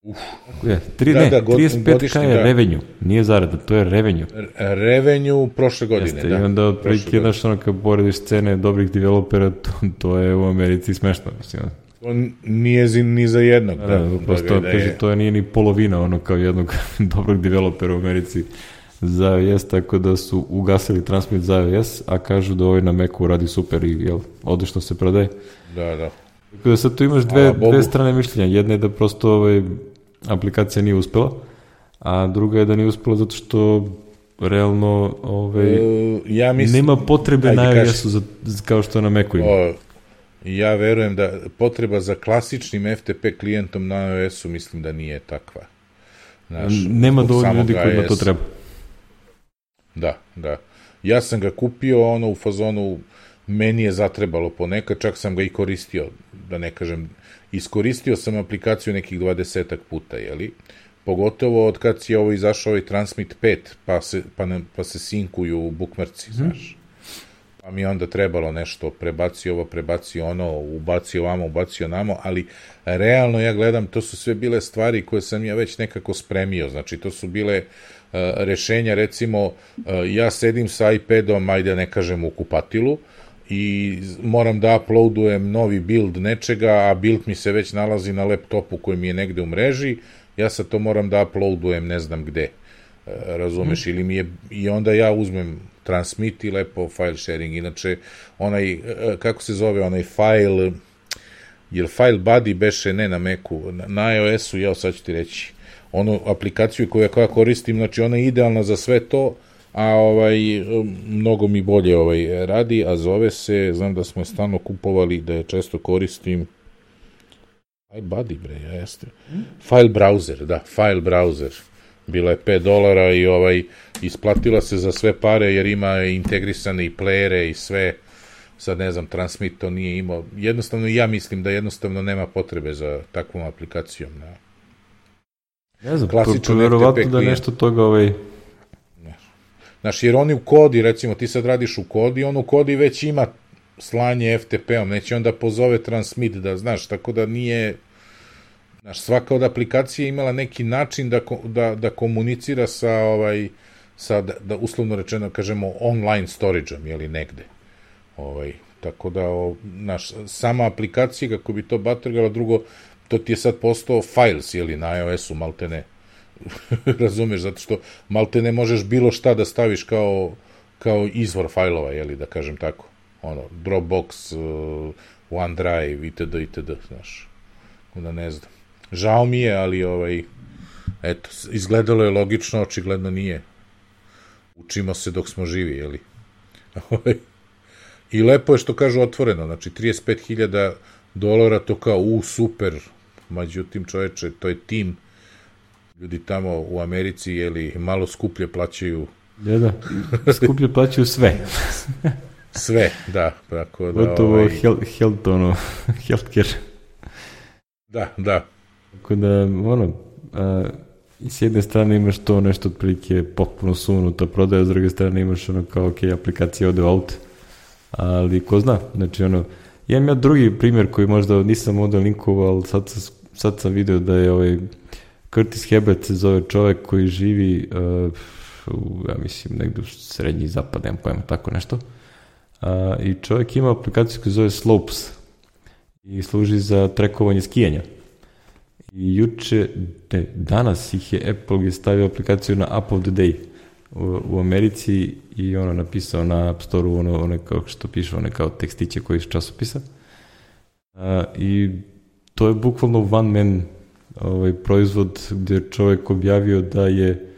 Uf. Je, tri, da, ne, da, trideset pet ka je da. Revenue, nije zarada, to je revenue. Revenue prošle godine, jeste, da. I onda otprilike, jednaš ono, kad porediš cene dobrih developera, to, to je u Americi smešno, mislim. To nije zin, ni za jednog. Da, da, da prosto, da kaže, to nije ni polovina ono kao jednog dobrog developera u Americi za iOS, tako da su ugasili Transmit za iOS, a kažu da ovaj na Macu radi super i jel, odlično se prodaje. Da, da. Tako da sad tu imaš dve, dve strane mišljenja. Jedna je da prosto ovaj, aplikacija nije uspela, a druga je da nije uspela zato što realno ovaj, uh, ja mislim, nema potrebe na iOS-u za, kao što na Macu ima. O, ja verujem da potreba za klasičnim F T P klijentom na iOS-u mislim da nije takva. Znaš, nema zbog dovoljno ljudi samog kojima A to S. treba. Da, da. Ja sam ga kupio, ono, u fazonu, meni je zatrebalo ponekad, čak sam ga i koristio, da ne kažem, iskoristio sam aplikaciju nekih dvadesetak puta, jeli? Pogotovo od kad si ovo izašao ovaj Transmit pet, pa se, pa ne, pa se sinkuju bukmerci, znaš. Pa mi je onda trebalo nešto, prebacio ovo, prebacio ono, ubacio ovamo, ubacio namo, ali realno ja gledam, to su sve bile stvari koje sam ja već nekako spremio, znači to su bile uh, rešenja, recimo, uh, ja sedim sa iPadom, ajde ne kažem u kupatilu, i moram da uploadujem novi build nečega, a build mi se već nalazi na laptopu koji mi je negde u mreži, ja sad to moram da uploadujem ne znam gde, uh, razumeš, mm. ili mi je, i onda ja uzmem Transmit i lepo file sharing, inače onaj, kako se zove, onaj file, jel file buddy beše ne na Macu, na iOS-u, ja sad ću ti reći, onu aplikaciju koju ja koristim, znači ona je idealna za sve to, a ovaj, mnogo mi bolje ovaj radi, a zove se, znam da smo stalno kupovali, da je često koristim, file buddy bre, ja jeste, file browser, da, file browser, bila je pet dolara i ovaj, isplatila se za sve pare jer ima integrisane i playere i sve, sad ne znam, Transmit to nije imao, jednostavno ja mislim da jednostavno nema potrebe za takvom aplikacijom. Ne, ne znam, to verovatno da nešto toga ovaj... Znaš, jer oni u kodi, recimo ti sad radiš u kodi, on u kodi već ima slanje F T P-om, neće onda pozove Transmit da, znaš, tako da nije... Znaš, svaka od aplikacija imala neki način da, da, da komunicira sa, ovaj, sa da, da uslovno rečeno kažemo online storage-om, jeli negde. Ovaj, tako da, o, naš, sama aplikacija, kako bi to batrgala, drugo, to ti je sad postao files, jeli, na iOS-u, maltene. Razumeš, zato što maltene možeš bilo šta da staviš kao, kao izvor fajlova, jeli, da kažem tako. Ono, Dropbox, uh, OneDrive, itd., itd., znaš. Onda ne znam. Žao mi je, ali ovaj, eto, izgledalo je logično, očigledno nije. Učimo se dok smo živi, jeli? I lepo je što kažu otvoreno, znači trideset pet hiljada dolara, to kao, u, super, međutim, čoveče, to je tim, ljudi tamo u Americi, jeli, malo skuplje plaćaju. Da, da, skuplje plaćaju sve. Sve, da. Tako da, gotovo ovaj... health, health, ono, healthcare. Da, da. Tako da, ono, a, i s jedne strane imaš to nešto otprilike potpuno sunuta prodaja, s druge strane imaš ono kao, ok, aplikacija ode u auto, ali ko zna, znači ono, imam ja drugi primjer koji možda nisam ovdje linkovao, ali sad, sad sam vidio da je ovaj Curtis Hebert se zove čovjek koji živi uh, u, ja mislim, negdje u srednji zapad, nemam pojma, tako nešto, uh, i čovjek ima aplikaciju koja se zove Slopes i služi za trekovanje skijanja. I juče, ne, danas ih je Apple je stavio aplikaciju na App of the Day u, u Americi i ono napisao na App Store-u ono, ono kao što piše, one kao tekstiće koji iz časopisa. A, i to je bukvalno one man ovaj, proizvod gdje je čovjek objavio da je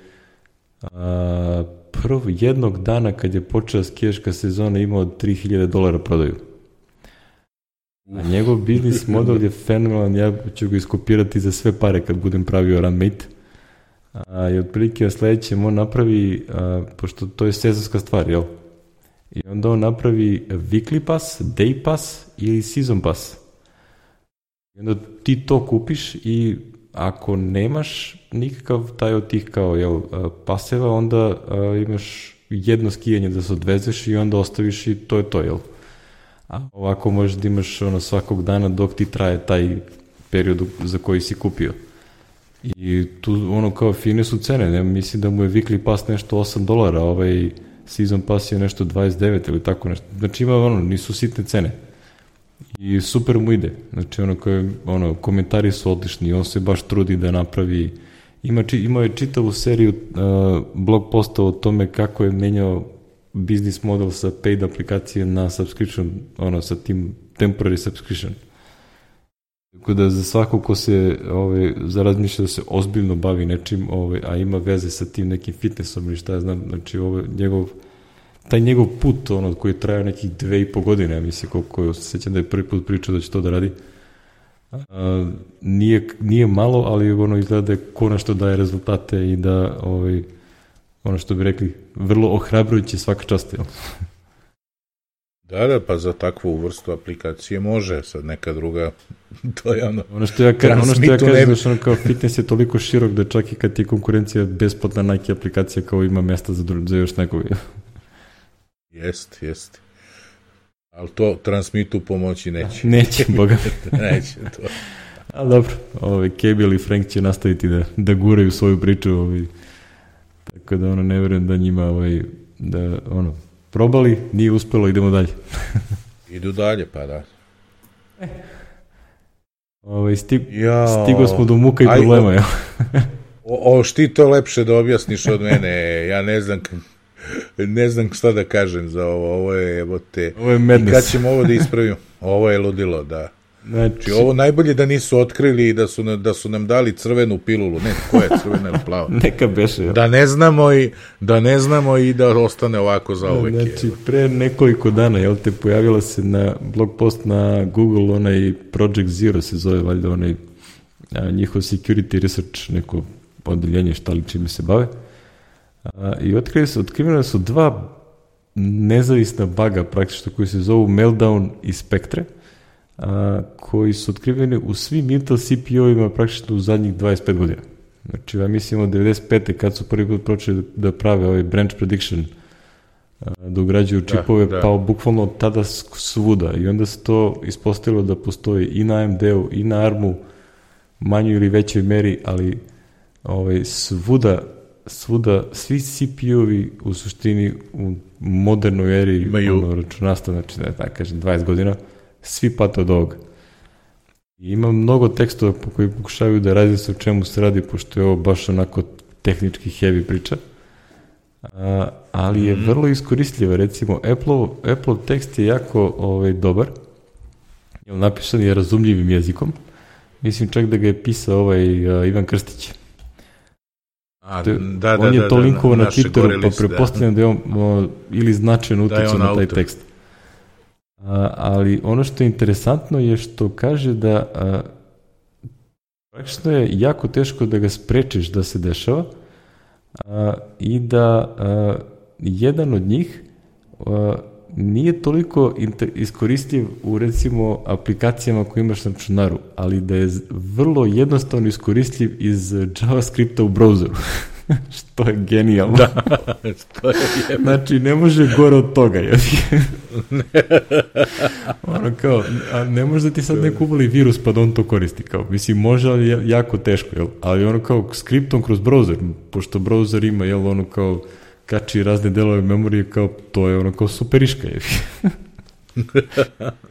a, prvo jednog dana kad je počela skijaška sezona imao tri hiljade dolara prodaju. A njegov business model je fenomenalan, ja ću ga iskopirati za sve pare kad budem pravio Runmate. A, i otprilike na sljedećem on napravi, a, pošto to je sezonska stvar, jel? I onda on napravi weekly pass, day pass ili season pass. I onda ti to kupiš i ako nemaš nikakav taj od tih kao, jel, paseva, onda a, imaš jedno skijanje da se odvezeš i onda ostaviš i to je to, jel? A ovako možeš da imaš ono svakog dana dok ti traje taj period za koji si kupio. I tu ono kao fine su cene, ne? Mislim da mu je weekly pass nešto osam dolara, ovaj season pass je nešto dvadeset devet ili tako nešto. Znači ima ono, nisu sitne cene. I super mu ide. Znači ono koje, ono, komentari su odlični, on se baš trudi da napravi, ima, imao je čitavu seriju uh, blog posta o tome kako je menjao business model sa paid aplikacije na subscription, ono, sa tim temporary subscription. Tako da za svako ko se ovaj, zarazmišlja da se ozbiljno bavi nečim, ovaj, a ima veze sa tim nekim fitnessom ili šta ja znam, znači ovaj, njegov, taj njegov put, ono, koji je trajao nekih dve i po godine, ja mislim, koliko se sjećam da je prvi put pričao da će to da radi, A, nije, nije malo, ali ono izgleda konačno daje rezultate i da ovaj, ono što bi rekli, vrlo ohrabrujuće svaka čast. Jel? Da, da, pa za takvu vrstu aplikacije može, sad neka druga, to je ono... Ono što ja, ono što ja kažem, znači ono kao fitness je toliko širok da čak i kad je konkurencija besplatna Nike aplikacija kao ima mesta za, za još nekog. Jest, jest. Ali to Transmitu pomoći neće. Neće, boga. Neće to. Ali dobro, ovaj, Cable i Frank će nastaviti da, da guraju svoju priču, ovaj, tako da ono, ne verujem da njima, ovaj, da ono, probali, nije uspelo, idemo dalje. Idu dalje, pa da. E. Ovaj, stig, stigo smo do muka i aj, problema, o, jel? o, o, ti to lepše da objasniš od mene, ja ne znam... Ne znam šta da kažem za ovo, ovo je, evo te, ovo je madness. I kad ćemo ovo da ispravimo? Ovo je ludilo, da. Znači, znači ovo najbolje da nisu otkrili i da su, da su nam dali crvenu pilulu, ne, koja je crvena ili plava? Neka beše. Da ne znamo i da ne znamo i da ostane ovako za uvek. Znači, pre nekoliko dana, jel te, pojavila se na blog post na Google, onaj Project Zero se zove, valjda onaj a, njihov security research, neko odeljenje šta li čime se bave. A, i otkrili su, otkrivene su dva nezavisna baga praktično koji se zovu Meltdown i Spectre, a, koji su otkriveni u svim Intel C P U-ima praktično u zadnjih dvadeset pet godina. Znači, ja mislim od devedeset pete kad su prvi put počeli da prave ovaj branch prediction, a, da ugrađuju čipove, da, da. Pa bukvalno od tada svuda. I onda se to ispostavilo da postoji i na A M D-u i na ARM-u, manjoj ili većoj meri, ali ovaj, svuda svuda, svi C P U-ovi u suštini u modernoj eri ono, računarstva, znači da je tako kažem dvadeset godina, svi pate od ovoga. I ima mnogo tekstova po koji pokušavaju da razjasne o čemu se radi, pošto je ovo baš onako tehnički heavy priča, a, ali je vrlo iskoristljiva. Recimo, Apple, Apple tekst je jako ovaj, dobar, jer napisan je razumljivim jezikom. Mislim čak da ga je pisao ovaj uh, Ivan Krstić. A, da, da, on je to da, linkovo da, na Twitteru, pa prepostavljam da je on o, ili značajno utjecao na taj tekst. A, ali ono što je interesantno je što kaže da a, praktično je jako teško da ga sprečiš da se dešava a, i da a, jedan od njih a, nije toliko iskoristljiv u recimo aplikacijama koje imaš na računaru, ali da je vrlo jednostavno iskoristljiv iz JavaScripta u browseru. Što je genijalno. Da, što je jebno. Znači, ne može gore od toga. Ono kao, a ne može da ti sad neko uvali virus pa da on to koristi. Kao, mislim, može, ali je jako teško. Jel? Ali ono kao skriptom kroz browser, pošto browser ima, jel, ono kao kači razne delove memorije, kao to je ono kao superiška.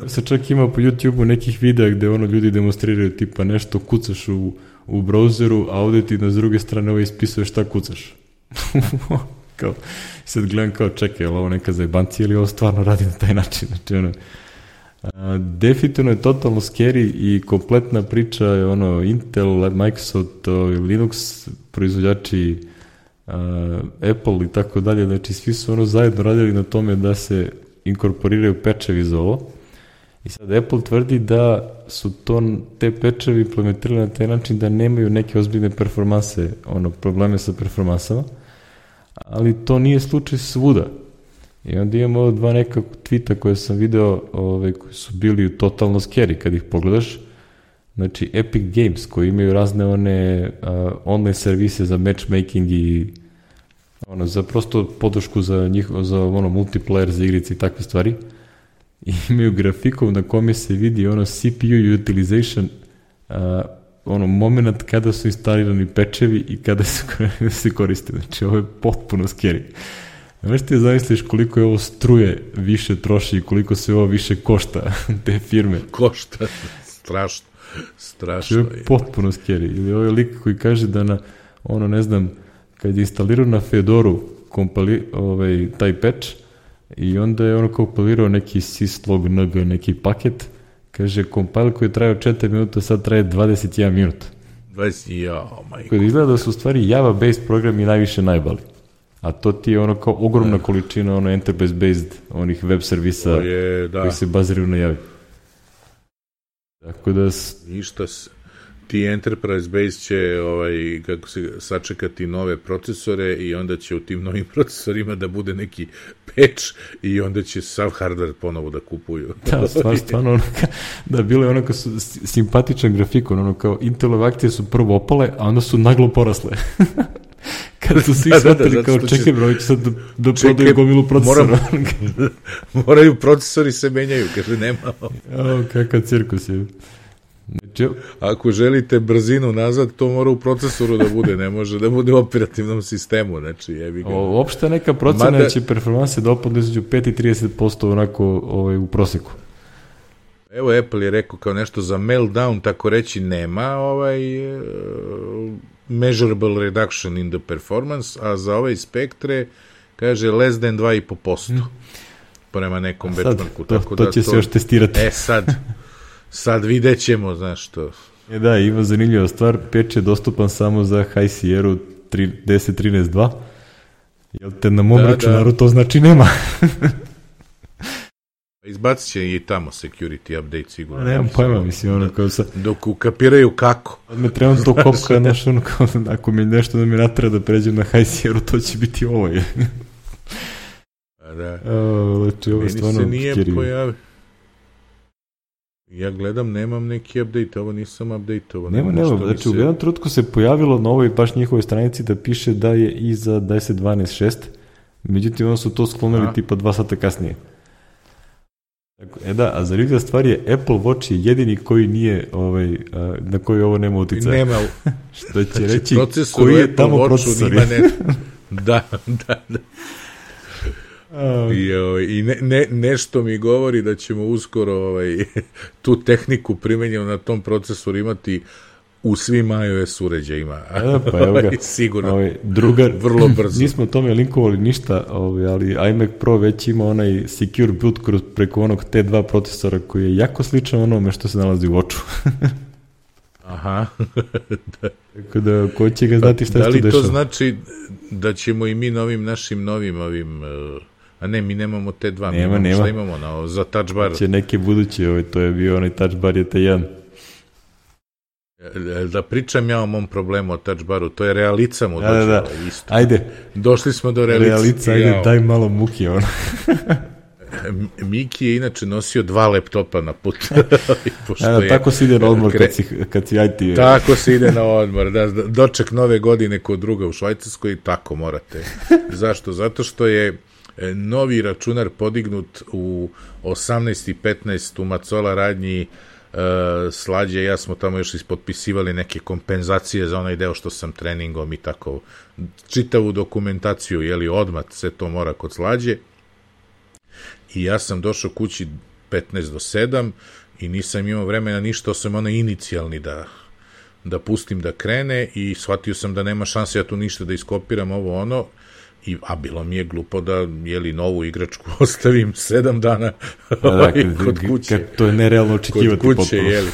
Se čak ima po YouTube-u nekih videa gde ono ljudi demonstriraju tipa nešto kucaš u, u browseru, a ovde ti na s druge strane ovo ispisuje šta kucaš. Kao, sad gledam kao čekaj, je li ovo neka zajebancija ili ovo stvarno radi na taj način. Znači ono, a, definitivno je totalno scary i kompletna priča je ono Intel, Microsoft, Linux, proizvođači Uh, Apple i tako dalje, znači svi su ono zajedno radili na tome da se inkorporiraju pečevi za ovo i sad Apple tvrdi da su to, te pečevi implementirali na taj način da nemaju neke ozbiljne performanse, ono, probleme sa performansama, ali to nije slučaj svuda. I onda imamo dva neka tweeta koje sam video, ove, koji su bili totalno scary kad ih pogledaš. Znači Epic Games koji imaju razne one uh, online servise za matchmaking i ono, za prosto podršku za njih, za ono multiplayer, za igrice i takve stvari. I imaju grafikov na kome se vidi ono C P U utilization, uh, ono moment kada su instalirani pečevi i kada se, se koriste. Znači ovo je potpuno scary. Znaš ti zamisliš koliko je ovo struje više troši i koliko se ovo više košta te firme. Košta, strašno. Strašno je. Je potpuno scary. Ili ovaj lik koji kaže da na, ono ne znam, kad je instalirao na Fedoru kompali, ovaj, taj patch i onda je ono kompilirao neki syslog N G, neki paket, kaže compile koji je trajao četiri minuta, sad traje dvadeset jedan minut. dvadeset, jao, majko. Koji izgleda da su u stvari Java-based programi najviše najbali. A to ti je ono kao ogromna ne. količina ono enterprise-based onih web servisa je, da. koji se baziraju na Javi. Tako da... Ništa, ti Enterprise Base će ovaj, kako se, sačekati nove procesore i onda će u tim novim procesorima da bude neki patch i onda će sav hardware ponovo da kupuju. Da, stvar, stvarno, ono ka, da, bilo je ono kao su simpatičan grafikon, ono kao Intelove akcije su prvo opale, a onda su naglo porasle. Kada su svi shvatili da, da, da, kao čekaj bro, će sad da, da prodaju gomilu procesora. Moram, moraju procesori se menjaju, kaže nema. O, kakav cirkus je. Znači, ako želite brzinu nazad, to mora u procesoru da bude, ne može da bude u operativnom sistemu, znači jebi ga. Uopšte neka procena Mada, će performanse da opadne između pet i trideset posto onako ovaj, u proseku. Evo Apple je rekao kao nešto za meltdown, tako reći nema ovaj uh, measurable reduction in the performance, a za ovaj spektre kaže less than dva i po posto mm. prema nekom benchmarku. To, tako to da će to, se još testirati. E sad, sad vidjet ćemo, znaš što. E da, ima zanimljiva stvar, patch je dostupan samo za High Sierra deset trinaest dva, jel te na mom da, računaru da. To znači nema. Izbacit će i tamo security update sigurno. Nemam pojma, mislim, ono kao sa... Dok ukapiraju kako. Od me trebam to kopka, znaš, ono kao, ako mi nešto da mi natara da pređem na High Sierra, to će biti ovo je. A da. O, znači, ovo je stvarno meni se nije pojavio. Ja gledam, nemam neki update, ovo nisam update-ovo. Nema, nema, znači se... u jednom trenutku se pojavilo na ovoj baš njihovoj stranici da piše da je i za deset dvanaest šest, međutim ono su to sklonili a? tipa dva sata kasnije. E da, a zanimljiva stvar je, Apple Watch je jedini koji nije, ovaj, a, na koji ovo nema uticaja. Nema. Što će znači, reći, koji je tamo Apple procesor. Ne... da, da, da. Uh. I, ovaj, i ne, ne, nešto mi govori da ćemo uskoro ovaj, tu tehniku primenjenu na tom procesoru imati u svim iOS uređajima. Da, pa evo ga, sigurno, ovaj, drugar, vrlo brzo. Nismo o tome linkovali ništa, ovaj, ali iMac Pro već ima onaj secure boot kroz, preko onog T dva procesora koji je jako sličan onome što se nalazi u Watchu. Aha. Da. Tako da, ko će ga znati šta pa, se tu dešava? Da li to znači da ćemo i mi novim našim novim ovim... A ne, mi nemamo T dva, nema, mi imamo, nema. šta imamo na, za touch bar? Će neke buduće, ovaj, to je bio onaj touch bar je T jedan. Da pričam ja o mom problemu o touch baru, to je realica mu da, da, da. isto. Ajde. Došli smo do realice. Realica, ajde, jao. Daj malo muki, ono. Miki je inače nosio dva laptopa na put. Da, da, tako se ide na odmor kad si, kad si I T. Tako se ide na odmor, da, doček nove godine kod druga u Švajcarskoj, tako morate. Zašto? Zato što je novi računar podignut u osamnaest i petnaest u Macola radnji. Uh, Slađe, ja smo tamo još ispotpisivali neke kompenzacije za onaj deo što sam treningom i tako čitavu dokumentaciju, jeli odmah se to mora kod Slađe i ja sam došao kući petnaest do sedam i nisam imao vremena ništa osim onaj inicijalni da, da pustim da krene i shvatio sam da nema šanse ja tu ništa da iskopiram ovo ono. I, a bilo mi je glupo da jeli novu igračku ostavim sedam dana da, da, kod kuće. Kad to je nerealno očekivati kod kuće, jeli.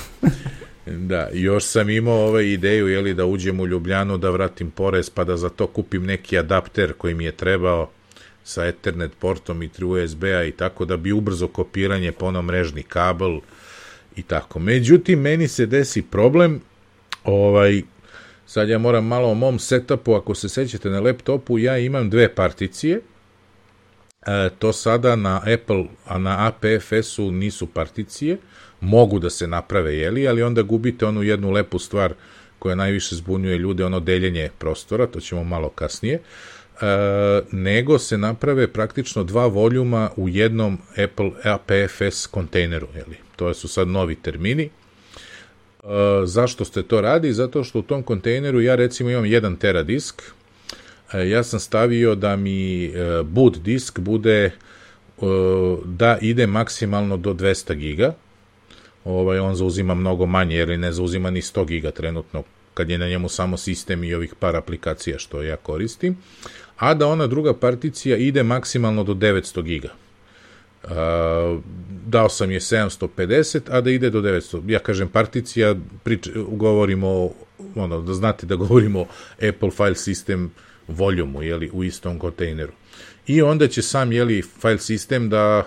Da, još sam imao ovaj ideju jeli, da uđem u Ljubljanu, da vratim porez, pa da za to kupim neki adapter koji mi je trebao sa Ethernet portom i tri U S B-a i tako, da bi ubrzo kopiranje po onom mrežni kabel i tako. Međutim, meni se desi problem, ovaj, sad ja moram malo o mom setupu, ako se sećate na laptopu, ja imam dve particije, e, to sada na Apple, a na A P F S-u nisu particije, mogu da se naprave, jeli, ali onda gubite onu jednu lepu stvar koja najviše zbunjuje ljude, ono deljenje prostora, to ćemo malo kasnije, e, nego se naprave praktično dva voljuma u jednom Apple A P F S kontejneru, jeli, to su sad novi termini. Uh, zašto se to radi? Zato što u tom kontejneru ja recimo imam jedan tera disk, uh, ja sam stavio da mi uh, boot disk bude uh, da ide maksimalno do dvesta giga, ovaj, on zauzima mnogo manje jer ne zauzima ni sto giga trenutno kad je na njemu samo sistem i ovih par aplikacija što ja koristim, a da ona druga particija ide maksimalno do devetsto giga. Uh, dao sam je sedamsto pedeset, a da ide do devetsto. Ja kažem particija, prič, govorimo, ono, da znate da govorimo Apple File System volumu, jeli, u istom kontejneru. I onda će sam, jeli, file system da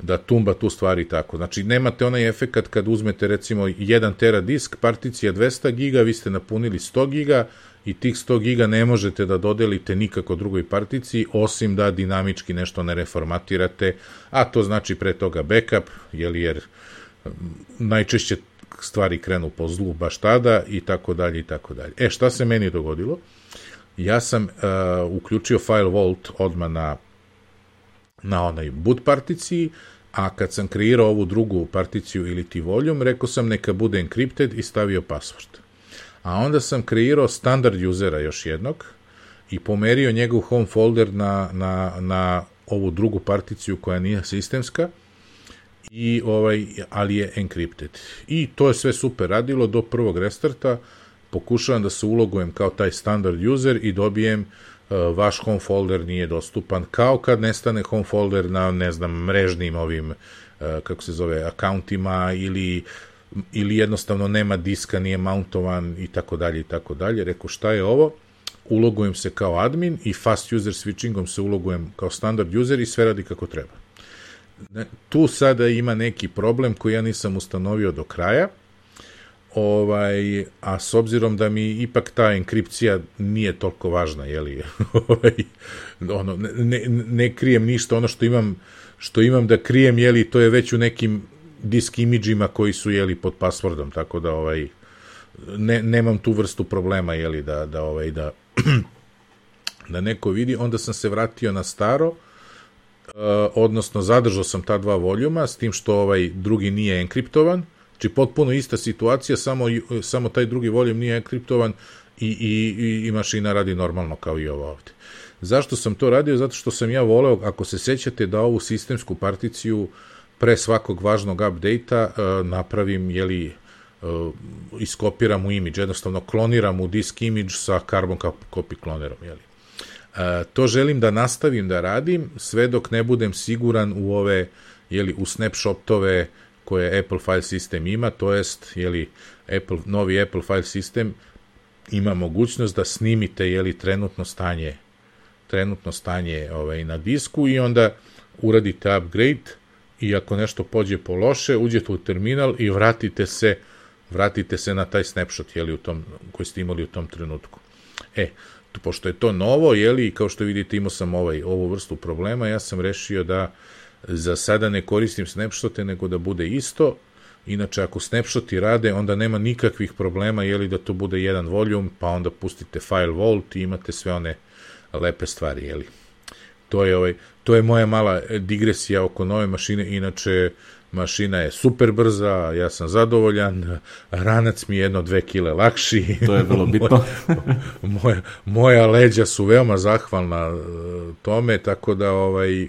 da tumba tu stvari tako. Znači, nemate onaj efekat kad uzmete, recimo, jedan tera disk, particija dvesta giga, vi ste napunili sto giga i tih sto giga ne možete da dodelite nikako drugoj particiji, osim da dinamički nešto ne reformatirate, a to znači pre toga backup, jel, jer najčešće stvari krenu po zlu baš tada i tako dalje i tako dalje. E, šta se meni dogodilo? Ja sam uh, uključio file vault odmah na, na onaj boot particiji, a kad sam kreirao ovu drugu particiju ili ti volume, rekao sam neka bude encrypted i stavio password. A onda sam kreirao standard usera još jednog i pomerio njegov home folder na, na, na ovu drugu particiju koja nije sistemska, i ovaj, ali je encrypted. I to je sve super radilo do prvog restarta. Pokušavam da se ulogujem kao taj standard user i dobijem uh, vaš home folder nije dostupan, kao kad nestane home folder na, ne znam, mrežnim ovim, uh, kako se zove, akauntima, ili, ili jednostavno nema diska, nije mountovan i tako dalje i tako dalje. Rekao, šta je ovo? Ulogujem se kao admin i fast user switchingom se ulogujem kao standard user i sve radi kako treba. Tu sada ima neki problem koji ja nisam ustanovio do kraja, ovaj, a s obzirom da mi ipak ta enkripcija nije toliko važna, jeli, ovaj, ono, ne, ne krijem ništa, ono što imam, što imam da krijem, jeli, to je već u nekim disk imidžima koji su, jeli, pod passwordom, tako da, ovaj, ne, nemam tu vrstu problema, jeli, da, da, ovaj, da, da neko vidi. Onda sam se vratio na staro, Uh, odnosno zadržao sam ta dva voljuma, s tim što ovaj drugi nije enkriptovan, znači potpuno ista situacija, samo, samo taj drugi voljum nije enkriptovan i, i, i mašina radi normalno kao i ovo ovde. Zašto sam to radio? Zato što sam ja voleo, ako se sećate, da ovu sistemsku particiju pre svakog važnog update-a uh, napravim, jeli, uh, iskopiram u imidž, jednostavno kloniram u disk imidž sa carbon copy klonerom, jeli. Uh, to želim da nastavim da radim sve dok ne budem siguran u ove, jeli, u snapshotove koje Apple File System ima, to jest, jeli, Apple, novi Apple File System ima mogućnost da snimite, jeli, trenutno stanje trenutno stanje ovaj, na disku i onda uradite upgrade i ako nešto pođe po loše, uđete u terminal i vratite se vratite se na taj snapshot, jeli, u tom, koji ste imali u tom trenutku. E, pošto je to novo, jeli, kao što vidite, imao sam ovaj, ovu vrstu problema, ja sam rešio da za sada ne koristim snapshote, nego da bude isto. Inače, ako snapshoti rade, onda nema nikakvih problema, jeli, da to bude jedan voljum, pa onda pustite file vault i imate sve one lepe stvari, jeli. To je, ovaj, to je moja mala digresija oko nove mašine, inače mašina je super brza, ja sam zadovoljan, ranac mi je jedno dve kile lakši. To je vrlo bitno. moja, moja leđa su veoma zahvalna tome, tako da ovaj,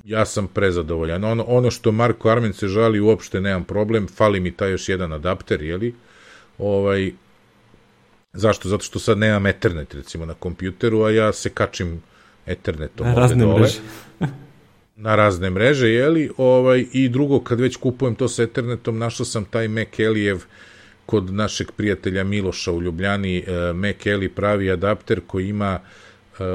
ja sam prezadovoljan. Ono, ono što Marko Armen se žali, uopšte nemam problem, fali mi taj još jedan adapter, jeli? Ovaj, zašto? Zato što sad nemam Ethernet, recimo, na kompjuteru, a ja se kačim Ethernetom. Na razne mreže. na razne mreže, jeli, ovaj, i drugo, kad već kupujem to s Ethernetom, našao sam taj Mac-Elijev kod našeg prijatelja Miloša u Ljubljani, Mac-Eli pravi adapter koji ima,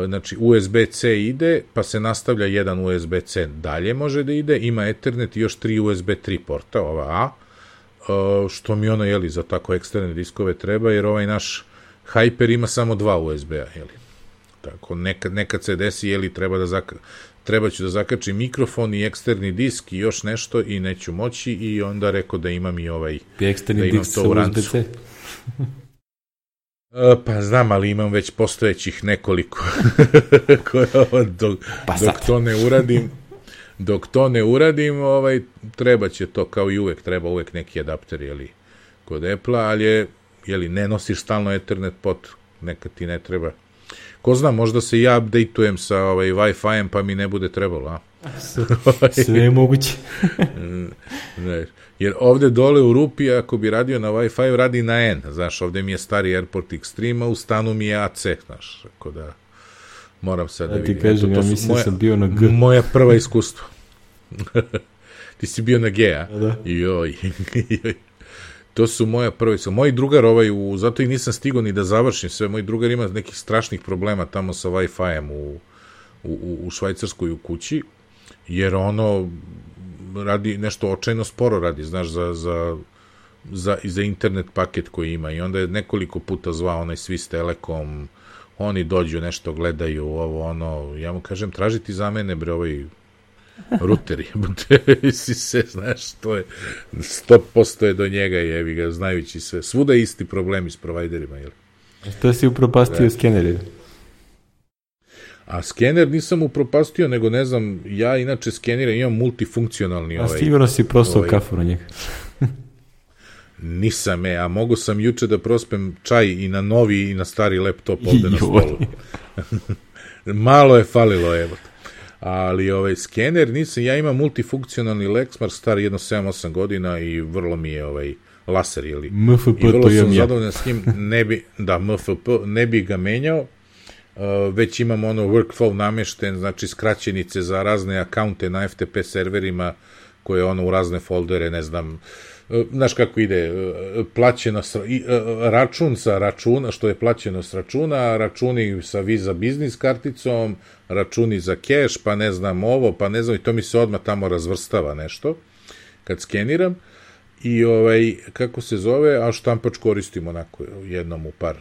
znači, U S B C ide, pa se nastavlja jedan U S B C dalje može da ide, ima Ethernet i još tri U S B tri porta, ova A, što mi ono, jeli, za tako eksterne diskove treba, jer ovaj naš Hyper ima samo dva U S B-a, jeli. Tako, nekad, nekad se desi, jeli, treba da zaka, treba ću da zakačim mikrofon i eksterni disk i još nešto i neću moći i onda rekao da imam i ovaj, eksterni da imam disk to u rancu. Pa znam, ali imam već postojećih nekoliko koje, dok, pa dok to ne uradim dok to ne uradim, ovaj, treba će to, kao i uvek, treba uvek neki adapter, jeli, kod Apple-a, ali je, jeli, ne nosiš stalno Ethernet pot, nekad ti ne treba. Ko zna, možda se ja updateujem sa ovaj, Wi-Fi-em, pa mi ne bude trebalo, a? Sve je moguće. Ne, jer ovde dole u rupi, ako bi radio na Wi-Fi, radi na N, znaš, ovde mi je stari Airport Extreme, a u stanu mi je A C, znaš, tako da moram sad da, da vidim. Ti kažem, to, to ja mislim moja, sam bio na G. Moja prva iskustva. Ti si bio na G, a? Da. Joj, joj. To su moja prva iskustva. Moj drugar, ovaj, u, zato i nisam stigao ni da završim sve, moj drugar ima nekih strašnih problema tamo sa Wi-Fi-em u, u, u Švajcarskoj u kući jer ono radi nešto očajno sporo radi, znaš, za, za, za, za internet paket koji ima i onda je nekoliko puta zvao onaj Swiss Telekom, oni dođu, nešto gledaju, ovo, ono, ja mu kažem, traži ti za mene, bre, ovaj ruteri, si se, znaš, to je, sto posto je do njega, jevi ga, znajući sve, svuda je isti problemi s provajderima, jel? To si upropastio skeneri. A skener nisam upropastio, nego ne znam, ja inače skeniram, imam multifunkcionalni a ovaj... A sigurno si prostao ovaj, kafu na njega. Nisam, e, a mogu sam juče da prospem čaj i na novi i na stari laptop ovde na stolu. Malo je falilo, evo. Ali ovaj skener nisam, ja imam multifunkcionalni Lexmark star jedno sedam osam godina i vrlo mi je ovaj laser, jeli. M F P, i vrlo to sam ja. zadovoljan s njim, ne bi, da, M F P, ne bi ga menjao, uh, već imam ono workflow namešten, znači skraćenice za razne akaunte na F T P serverima, koje ono u razne foldere, ne znam, znaš kako ide, plaćeno s, račun sa računa, što je plaćeno s računa, računi sa Visa biznis karticom, računi za keš, pa ne znam ovo, pa ne znam, i to mi se odmah tamo razvrstava nešto, kad skeniram, i ovaj, kako se zove, a štampač koristim onako jednom u par,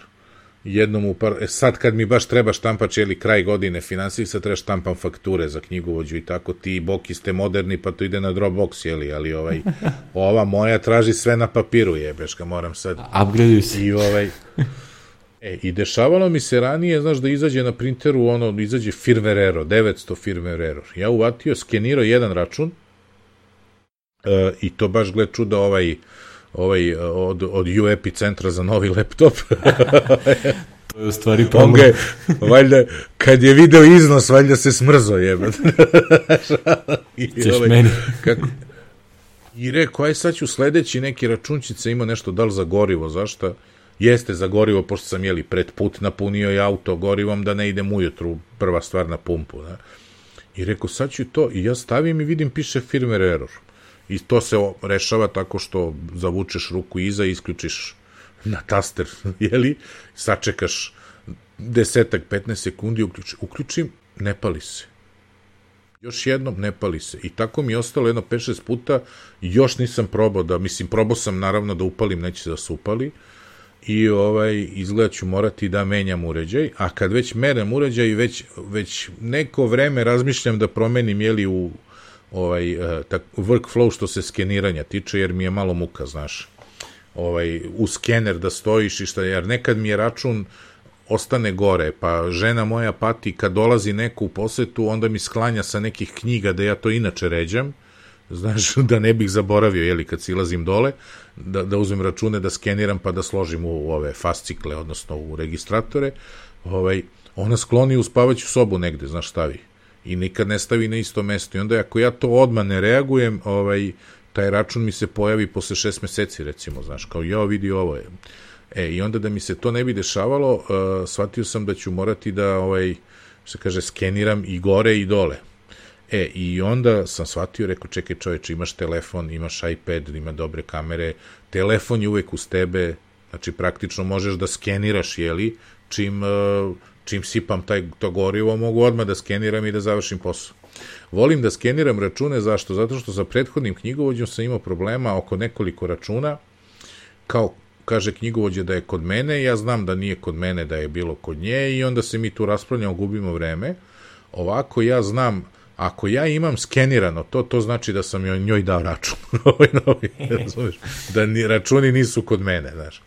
jednom u par, e sad kad mi baš treba štampač, jeli kraj godine finansijski, sad treba štampam fakture za knjigovođu i tako, ti Boki ste moderni, pa to ide na Dropbox, jeli, ali ovaj, ova moja traži sve na papiru, jebeška, moram sad. Upgraduju se. I ovaj, e, i dešavalo mi se ranije, znaš, da izađe na printeru, ono, izađe firmware error, devetsto firmware error. Ja uvatio, skenirao jedan račun, e, i to baš, gled čuda, ovaj, ovaj, od, od U Epicentra za novi laptop. To je u stvari problem. On ga je, valjda, kad je video iznos, valjda se smrzo, jebet. Ćeš ovaj, meni. Kako, i rekao, aj sad ću sledeći neki računčice, ima nešto, da li za gorivo, zašto? Jeste za gorivo, pošto sam, jeli, pred put napunio i auto gorivom, da ne idem ujutru, prva stvar na pumpu, da? I rekao, sad ću to, i ja stavim i vidim, piše firmware error. I to se rešava tako što zavučeš ruku iza i isključiš na taster, jeli, sačekaš desetak, petnaest sekundi, uključim, uključim, ne pali se. Još jednom, ne pali se. I tako mi je ostalo jedno pet šest puta, još nisam probao da, mislim, probao sam naravno da upalim, neće da se upali, i ovaj, izgleda ću morati da menjam uređaj, a kad već merem uređaj, već, već neko vreme razmišljam da promenim, jeli, u ovaj, tak, workflow što se skeniranja tiče, jer mi je malo muka, znaš, ovaj, u skener da stojiš i šta, jer nekad mi je račun ostane gore, pa žena moja pati kad dolazi neko u posetu, onda mi sklanja sa nekih knjiga da ja to inače ređam, znaš, da ne bih zaboravio, jeli, kad silazim dole, da, da uzmem račune, da skeniram, pa da složim u, u ove fascikle, odnosno u registratore, ovaj, ona skloni u spavaću sobu negde, znaš, stavi. I nikad ne stavi na isto mesto. I onda ako ja to odmah ne reagujem, ovaj, taj račun mi se pojavi posle šest meseci, recimo, znaš, kao ja vidi ovo je. E, i onda da mi se to ne bi dešavalo, uh, shvatio sam da ću morati da, ovaj, što kaže, skeniram i gore i dole. E, i onda sam shvatio, rekao, čekaj čoveče, imaš telefon, imaš iPad, ima dobre kamere, telefon je uvek uz tebe, znači praktično možeš da skeniraš, jeli, čim... Uh, čim sipam taj, to gorivo, mogu odmah da skeniram i da završim posao. Volim da skeniram račune, zašto? Zato što sa prethodnim knjigovođom sam imao problema oko nekoliko računa, kao kaže knjigovođa da je kod mene, ja znam da nije kod mene, da je bilo kod nje, i onda se mi tu raspravljamo, gubimo vreme. Ovako ja znam, ako ja imam skenirano to, to znači da sam joj, njoj dao račun. Da ni, računi nisu kod mene, znaš.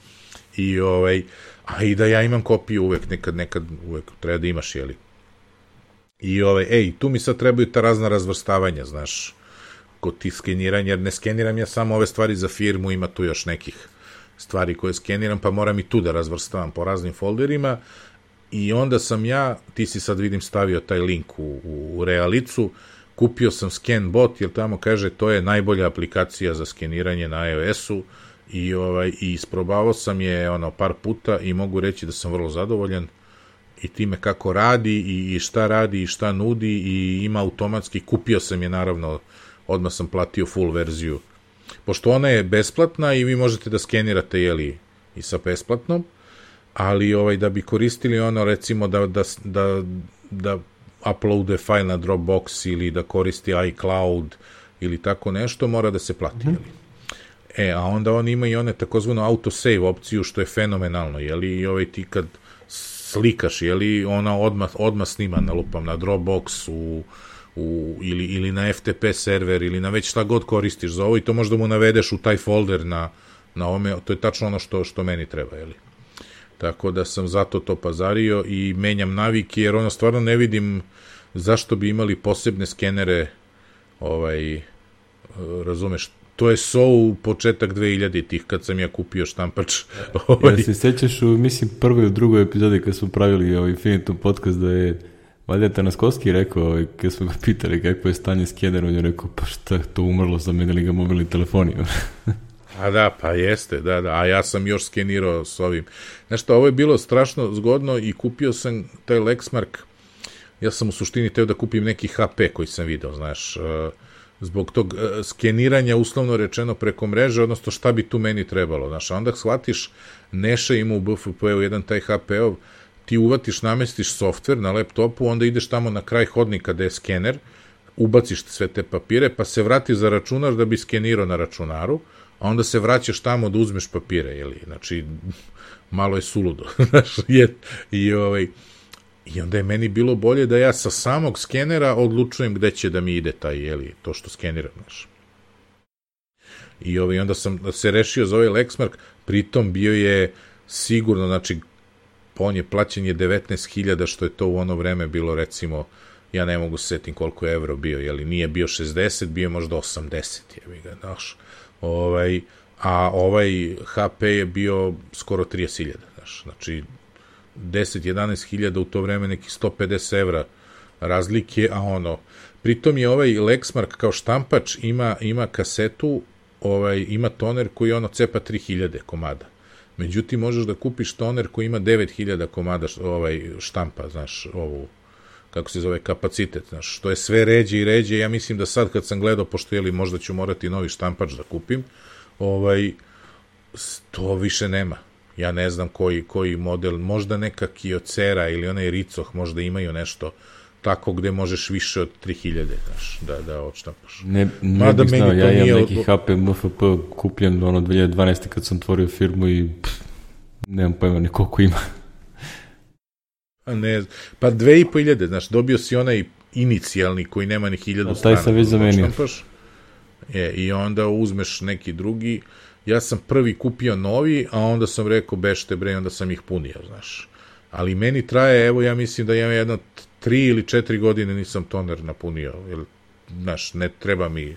I ovaj... a i da ja imam kopiju uvek, nekad, nekad, uvek treba da imaš, jeli. I ovaj, ej, tu mi sad trebaju ta razna razvrstavanja, znaš, kod tih skeniranja, jer ne skeniram ja samo ove stvari za firmu, ima tu još nekih stvari koje skeniram, pa moram i tu da razvrstavam po raznim folderima, i onda sam ja, ti si sad vidim stavio taj link u, u, u Realicu, kupio sam ScanBot, jer tamo kaže to je najbolja aplikacija za skeniranje na iOS-u, i ovaj i isprobavao sam je ono par puta i mogu reći da sam vrlo zadovoljan i time kako radi i, i šta radi i šta nudi, i ima automatski, kupio sam je naravno, odmah sam platio full verziju, pošto ona je besplatna i vi možete da skenirate, jeli, i sa besplatnom, ali ovaj da bi koristili ono, recimo da, da, da, da uploade file na Dropbox ili da koristi iCloud ili tako nešto, mora da se plati, mm-hmm. jeli? E, a onda on ima i one takozvano autosave opciju, što je fenomenalno, jeli, i ovaj ti kad slikaš, jeli, ona odmah, odmah snima na lupam, na Dropbox, u, u, ili, ili na F T P server, ili na već šta god koristiš za ovo, i to možda mu navedeš u taj folder na, na ome, to je tačno ono što, što meni treba, jeli. Tako da sam zato to pazario i menjam navike, jer ono stvarno ne vidim zašto bi imali posebne skenere, ovaj, razumeš, to je so u početak dve hiljaditih kad sam ja kupio štampač. Ja se sećaš u, mislim, prvoj i drugoj epizodi kad smo pravili ovaj Infinitum podcast, da je valjda Tanaskovski rekao, ovaj, kad smo ga pitali kako je stanje skenera, on je rekao, pa šta, to umrlo, zamenili ga mobilni telefoni. A da, pa jeste, da, da, a ja sam još skenirao s ovim. Znaš što, ovo je bilo strašno zgodno i kupio sam taj Lexmark, ja sam u suštini teo da kupim neki H P koji sam video, znaš, zbog tog skeniranja, uslovno rečeno, preko mreže, odnosno šta bi tu meni trebalo, znaš, a onda shvatiš, Neša ima u B F P-u jedan taj H P-ov, ti uvatiš, namestiš softver na laptopu, onda ideš tamo na kraj hodnika gde je skener, ubaciš sve te papire, pa se vrati za računar da bi skenirao na računaru, a onda se vraćaš tamo da uzmeš papire, jeli, znači, malo je suludo, znaš, je, i ovaj, i onda je meni bilo bolje da ja sa samog skenera odlučujem gde će da mi ide taj, jeli, to što skeniram, znaš. I ovaj, onda sam se rešio za ovaj Lexmark, pritom bio je sigurno, znači, on je plaćen je devetnaest hiljada, što je to u ono vreme bilo, recimo, ja ne mogu se setim koliko je evro bio, jeli, nije bio šezdeset, bio je možda osamdeset, jebi ga, znaš. Ovaj, a ovaj H P je bio skoro trideset hiljada, znaš, znači deset do jedanaest hiljada u to vreme, neki sto pedeset evra razlike, a ono, pritom je ovaj Lexmark kao štampač ima, ima kasetu, ovaj, ima toner koji ono cepa tri hiljade komada, međutim možeš da kupiš toner koji ima devet hiljada komada ovaj, štampa, znaš, ovu, kako se zove, kapacitet, znaš, što je sve ređe i ređe, ja mislim da sad kad sam gledao, pošto jeli možda ću morati novi štampač da kupim, ovaj, to više nema. Ja ne znam koji, koji model, možda neka Kyocera ili onaj Ricoh možda imaju nešto tako gde možeš više od tri hiljade, znaš, da, da odštampaš. Ne, ne bih znao, ja imam neki od... H P M F P kupljen ono dve hiljade dvanaeste kad sam otvorio firmu i pff, nemam pojma ni koliko ima. Ne, pa dve i po hiljade, znaš, dobio si onaj inicijalni koji nema ni hiljadu strana. Taj sam već zamenio. Je, i onda uzmeš neki drugi, ja sam prvi kupio novi, a onda sam rekao bešte bre, onda sam ih punio, znaš. Ali meni traje, evo ja mislim da ja jedno tri ili četiri godine nisam toner napunio, jer, znaš, ne treba mi,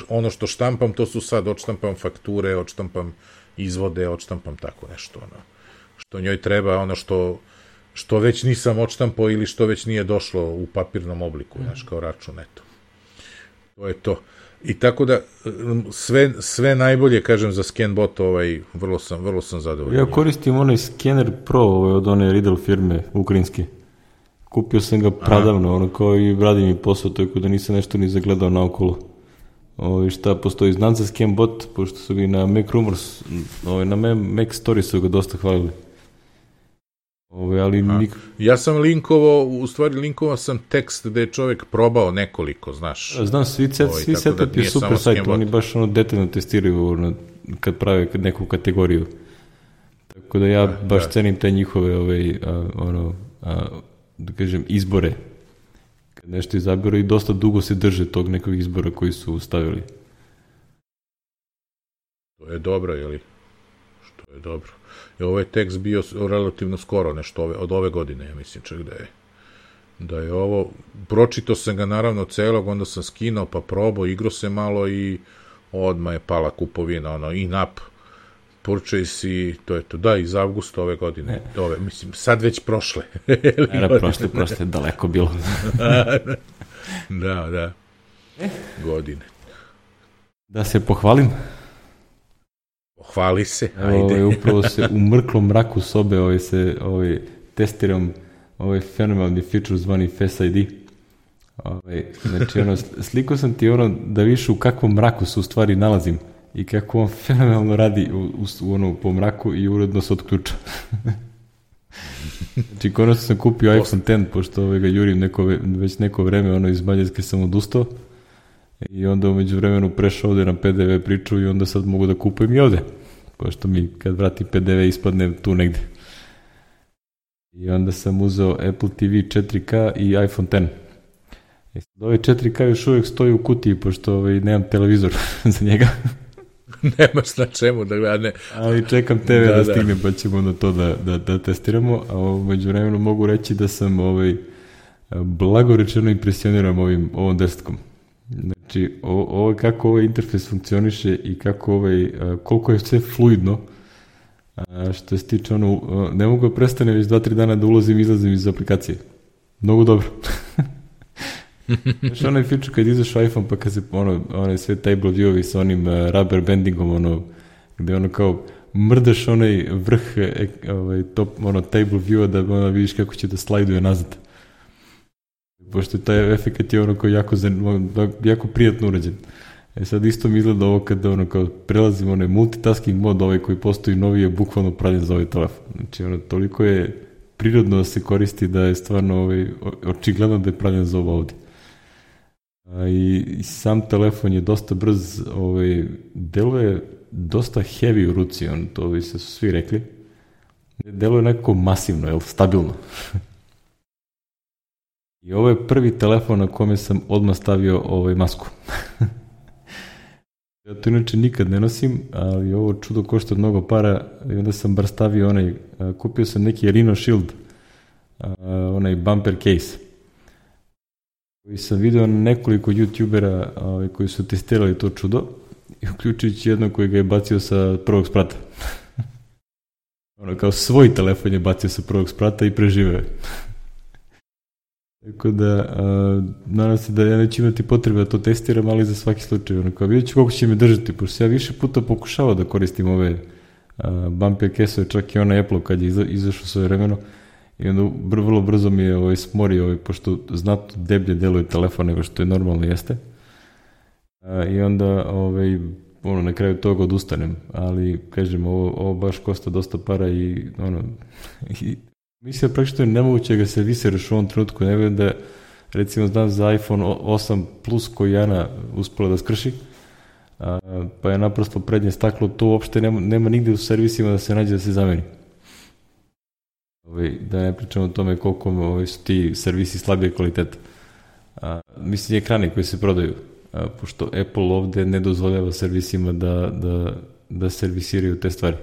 ono što štampam, to su sad, odštampam fakture, odštampam izvode, odštampam tako nešto, ono, što njoj treba, ono što što već nisam odštampao ili što već nije došlo u papirnom obliku, znaš, kao račun, eto. To je to. I tako da, sve, sve najbolje, kažem, za ScanBot, ovaj, vrlo sam, vrlo sam zadovoljan. Ja koristim onaj Scanner Pro ovaj, od one Riddle firme, ukrajinske. Kupio sam ga pradavno, ono kao i radi mi posao, tako da nisam nešto ni zagledao naokolo. Ovaj, šta postoji, znam za ScanBot, pošto su ga i na Mac Rumors, ovaj, na Mac Story su ga dosta hvalili. Ove, ali nik... Ja sam linkovao, u stvari linkovao sam tekst gde je čovjek probao nekoliko, znaš. Znam, svi, set, ovaj, svi setup da je super sajt, oni baš ono detaljno testiraju ono, kad prave neku kategoriju. Tako da ja a, baš da. cenim te njihove ovaj, a, ono, a, da kažem, izbore. Kad nešto izaberu i dosta dugo se drže tog nekog izbora koji su stavili. To je dobro, jeli? Što je dobro. I ovaj tekst bio relativno skoro, nešto ove, od ove godine, ja mislim, čak da je, da je ovo, pročitao sam ga naravno celog, onda sam skinuo, pa probao, igrao se malo i odmah je pala kupovina, ono, in-app purchase i to je to, da, iz avgusta ove godine, ove, mislim, sad već prošle. Era, prošle, prošle, daleko bilo. da, da, godine. Da se pohvalim. Hvali se, ajde. Ovaj, upravo se u mrklom mraku sobe ovaj, se ovaj, testiram ovaj fenomenalni feature zvani Face I D. Ovaj, znači, ono, sliko sam ti ono da vidiš u kakvom mraku se u stvari nalazim i kako on fenomenalno radi u, u, u ono, po mraku i uredno se otključa. Znači, konačno sam kupio iPhone deset, pošto ovaj ga jurim neko, već neko vreme, ono iz Mađarske sam odustao. I onda umeđu vremenu prešao ovde na P D V priču i onda sad mogu da kupujem i ovde. Pošto mi kad vrati P D V ispadne tu negde. I onda sam uzeo Apple T V četiri K i iPhone deset. I sad ovaj četiri K još uvijek stoji u kutiji, pošto ovaj, nemam televizor za njega. Nemaš na čemu da gledane. Ali čekam T V da, da stigne, pa ćemo onda to da, da, da testiramo. A umeđu vremenu mogu reći da sam ovaj, blagorečeno impresioniran ovim, ovom desetkom. Znači, ovo, kako ovaj interfejs funkcioniše i kako ovaj, koliko je sve fluidno, a što se tiče ono, ne mogu da prestane već dva tri dana da ulazim i izlazim iz aplikacije. Mnogo dobro. Znaš, onaj feature kad izašao iPhone, pa kad se ono, onaj sve table view-ovi sa onim uh, rubber bandingom, ono, gde ono kao mrdaš onaj vrh ovaj, top, ono, table view-a da ono, vidiš kako će da slajduje nazad. Pošto taj efekt je ono kao jako, jako prijatno urađen. E sad isto mi izgleda ovo kada ono kao prelazim onaj multitasking mod, ovaj koji postoji novi je bukvalno pravljen za ovaj telefon. Znači ono toliko je prirodno da se koristi da je stvarno ovaj, očigledno da je pravljen za ovo ovde. A i, i sam telefon je dosta brz, ovaj, deluje dosta heavy u ruci, on, to bi se svi rekli. Deluje nekako masivno, jel, stabilno. I ovo je prvi telefon na kome sam odmah stavio ovaj masku. Ja to inače nikad ne nosim, ali ovo čudo košta mnogo para i onda sam bar stavio onaj, kupio sam neki Rhino Shield, onaj bumper case, koji sam video na nekoliko youtubera ovaj, koji su testirali to čudo, i uključujući jednog koji ga je bacio sa prvog sprata. Ono, kao svoj telefon je bacio sa prvog sprata i preživeo. Tako da, a, nadam se da ja neću imati potrebe da to testiram, ali za svaki slučaj. Ono, kao vidjet ću koliko će mi držati, pošto ja više puta pokušavao da koristim ove a, bumper case-ove, čak i ona Apple kad je iza, izašao svoje vremeno, i onda br, vrlo brzo mi je ovaj, smorio, ovaj, pošto znatno deblje deluje telefon nego što je normalno jeste. A, I onda ovaj, ono, na kraju toga odustanem, ali kažem, ovo, ovo baš košta dosta para i ono... i, mislim da praktično je nemoguće ga se viseraš u ovom trenutku, ne vidim da, recimo, znam za iPhone osam plus koji Ana uspela da skrši, a, pa je naprosto prednje staklo, to uopšte nema, nema nigde u servisima da se nađe da se zameni. Ove, da ne pričamo o tome koliko ove, su ti servisi slabije kvaliteta. A, mislim, ekrani koji se prodaju, a, pošto Apple ovde ne dozvoljava servisima da, da, da servisiraju te stvari.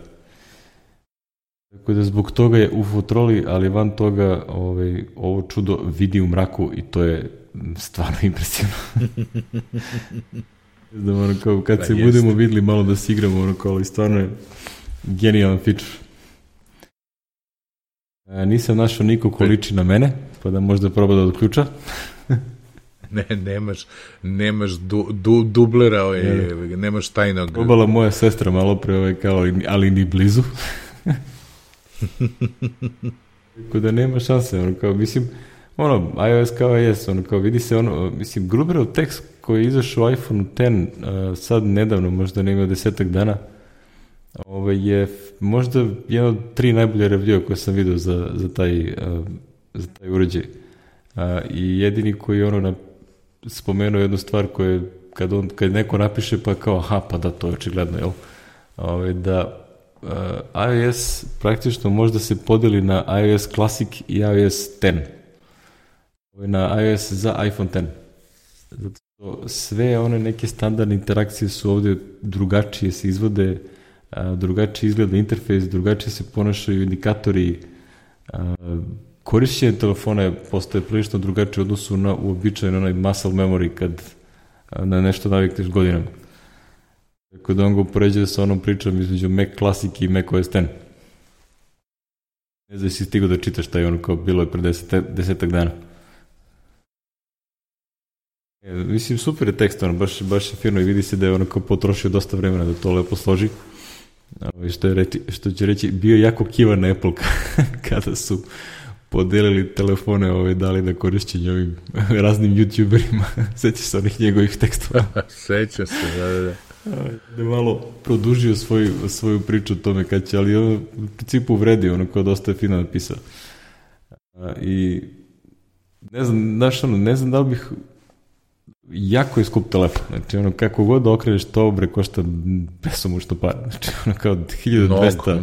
Tako da zbog toga je u fotroli, ali van toga ovaj, ovo čudo vidi u mraku i to je stvarno impresivno. Znam, ono kao, kad da, se jest. budemo videli malo da se igramo, ono kao, ali stvarno je genijalan feature. A, nisam našao niko ko liči na mene, pa da možda proba da odključa. Ne, nemaš, nemaš du, du, dublera, ovaj, ne. nemaš tajnog. Probala moja sestra malo pre, ovaj, kao, ali ni blizu. Tako da nema šanse, ono kao, mislim, ono, iOS kao jes, ono kao, vidi se ono, mislim, Gruberov tekst koji je izašao u iPhone deset, uh, sad nedavno, možda ne imao desetak dana, ovaj, je možda jedan od tri najbolje review koje sam vidio za, za, taj, uh, za taj uređaj. Uh, I jedini koji ono na, spomenuo jednu stvar koju, kad, on, kad neko napiše pa kao, aha, pa da, to je očigledno, jel? Ovaj, da Uh, iOS praktično možda se podeli na iOS Classic i iOS deset. Na iOS za iPhone deset. Zato što sve one neke standardne interakcije su ovde drugačije se izvode, uh, drugačije izgleda interfejs, drugačije se ponašaju indikatori. Uh, korišćenje telefona postaje prilično drugačije u odnosu na uobičajeno onaj muscle memory kad uh, na nešto navikneš godinama. Tako da on ga upoređuje sa onom pričom između Mac Classic i Mac O S deset. Ne znam si stigao da čitaš taj ono kao bilo je pre deset, desetak dana. E, mislim, super je tekst, ono, baš, baš je firno i vidi se da je ono kao potrošio dosta vremena da to lepo složi. Ovo, što, je reći, što će reći, bio jako kivan na Apple kada su podelili telefone ove dali da korišćenje ovim raznim youtuberima. Sećaš se onih njegovih tekstova? Sećam se, da, da, da. Da je malo produžio svoju, svoju priču o tome kad će, ali on u principu uvredio, ono kao dosta je fino napisao. I ne znam, znaš, ono, ne znam da li bih jako je skup telefon, znači ono kako god okreneš to bre košta besomučno para, znači ono kao hiljadu dvesta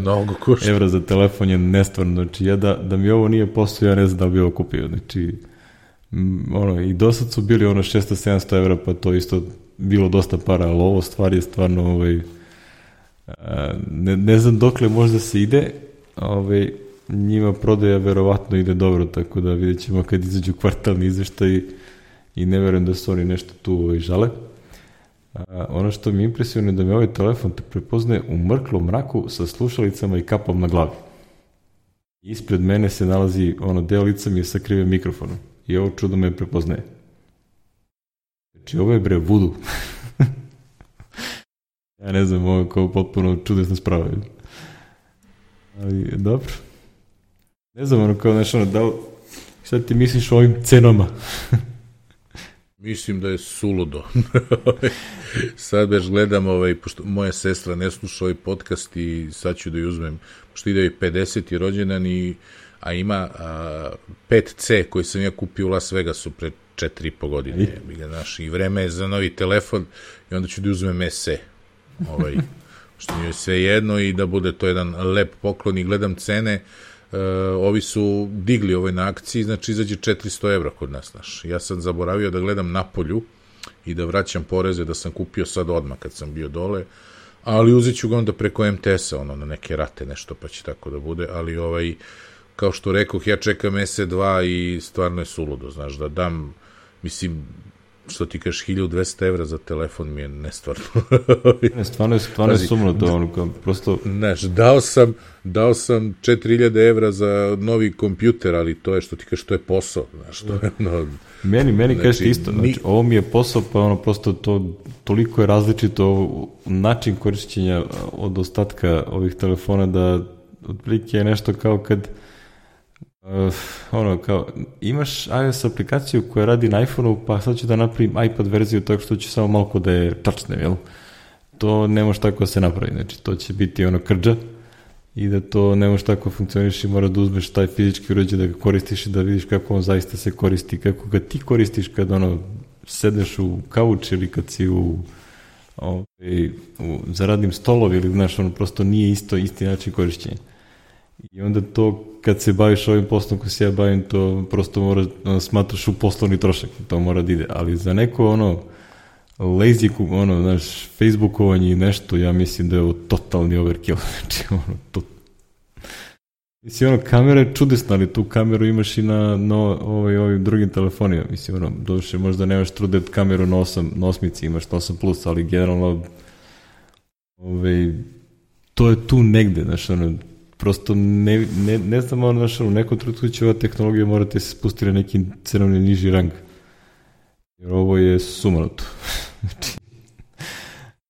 evra za telefon je nestvarno, znači ja da, da mi ovo nije posao, ja ne znam da bi ovo kupio, znači m, ono i do sad su bili ono šesto sedamsto evra, pa to isto bilo dosta para, ali ovo stvar je stvarno ovaj, a, ne, ne znam dokle možda se ide, ovaj, njima prodaja verovatno ide dobro, tako da vidjet ćemo kad izađu kvartalni izveštaj i ne verujem da su oni nešto tu ovaj, žale. A, ono što mi impresivno je da mi ovaj telefon te prepoznaje u mrklom mraku sa slušalicama i kapom na glavi. Ispred mene se nalazi ono deo lica mi je sakriven mikrofonom i ovo čudo me prepoznaje. Znači ovo je bre vudu. Ja ne znam, ovo je kao potpuno čudesna sprava. Ali dobro. Ne znam, ono kao nešto, ono, da li, šta ti misliš o ovim cenama? Mislim da je suludo. Sad već gledam, ovaj, pošto moja sestra ne sluša ovaj podcast i sad ću da ju uzmem, pošto ide i pedeseti rođendan, i, a ima a, pet ce koji sam ja kupio u Las Vegasu pre četiri i po godine. I, znaš, i vreme je za novi telefon i onda ću da uzmem es e. Ovaj, što mi je sve jedno i da bude to jedan lep poklon i gledam cene. Uh, ovi su digli ovaj na akciji, znači izađe četiristo evra kod nas, znaš. Ja sam zaboravio da gledam napolju i da vraćam poreze, da sam kupio sad odmah kad sam bio dole, ali uzet ću ga onda preko em te es a, ono, na neke rate nešto, pa će tako da bude, ali ovaj, kao što rekoh, ja čekam es e dva i stvarno je suludo, znaš, da dam, mislim, što ti kažeš, hiljadu dvesta evra za telefon mi je nestvarno. Ne, stvarno je, stvarno je sumno to, ono, kao, prosto... Znaš, dao sam, dao sam četiri hiljade evra za novi kompjuter, ali to je, što ti kažeš, to je posao, znaš, to je, no... Meni, meni znači, kažete isto, znači, ni... ovo mi je posao, pa ono, prosto to, toliko je različito način korišćenja od ostatka ovih telefona, da otprilike je nešto kao kad Uh, ono, kao, imaš iOS aplikaciju koja radi na iPhoneu, pa sad ću da napravim iPad verziju tako što ću samo malo da je touchnem, jel? To ne može tako da se napravi, znači to će biti ono krđa i da to ne može tako funkcioniš i mora da uzmeš taj fizički uređaj da ga koristiš i da vidiš kako on zaista se koristi, kako ga ti koristiš kad ono sedeš u kauč ili kad si u, ovaj, u za radnim stolovi ili znaš, ono prosto nije isto isti način korišćenja. I onda to, kad se baviš ovim poslom koji se ja bavim, to prosto mora, ono, smatraš u poslovni trošak, to mora da ide. Ali za neko, ono, lazy, ono, znaš, facebookovanje i nešto, ja mislim da je ovo totalni overkill. Znači, ono, to... Mislim, ono, kamera je čudesna, ali tu kameru imaš i na, na ovaj, ovim drugim telefonima. Mislim, ono, doduše, možda nemaš True Depth kameru na, osam, na osmici, imaš na osam plus, ali generalno, ovaj, to je tu negde, znaš, ono, prosto ne, ne, ne znam, ono, znaš, u nekom trenutku će ova tehnologija morate se spustiti na neki cenovni niži rang. Jer ovo je sumanuto. Znači,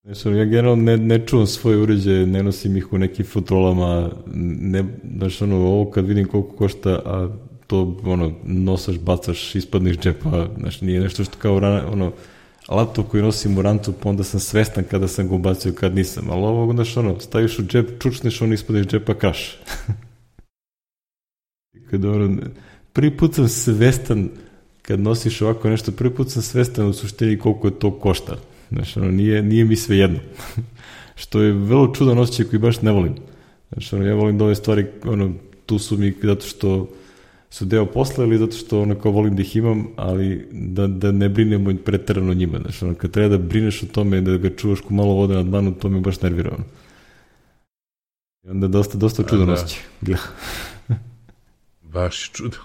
znaš, ono, ja generalno ne, ne čuvam svoje uređaje, ne nosim ih u nekim futrolama, ne, znaš, ono, ovo kad vidim koliko košta, a to, ono, nosaš, bacaš, ispadneš džepa, znaš, nije nešto što kao, ono, laptop koji nosim u rancu, pa onda sam svestan kada sam ga ubacio, kad nisam. Ali ovo, znaš, ono, staviš u džep, čučneš, on ispadeš džepa, kraš. Kada, ono, prvi put sam svestan, kad nosiš ovako nešto, prvi put sam svestan u suštini koliko je to košta. Znaš, ono, nije, nije mi sve jedno. Što je vrlo čudan osjećaj koji baš ne volim. Znaš, ono, ja volim da ove stvari, ono, tu su mi zato što su deo posla ili zato što ono kao volim da ih imam, ali da, da ne brinemo preterano njima. Znači, ono, kad treba da brineš o tome, da ga čuvaš ko malo vode na dlanu, to me baš nervira. Ono. I onda dosta, dosta čudan osjećaj. Baš čudan.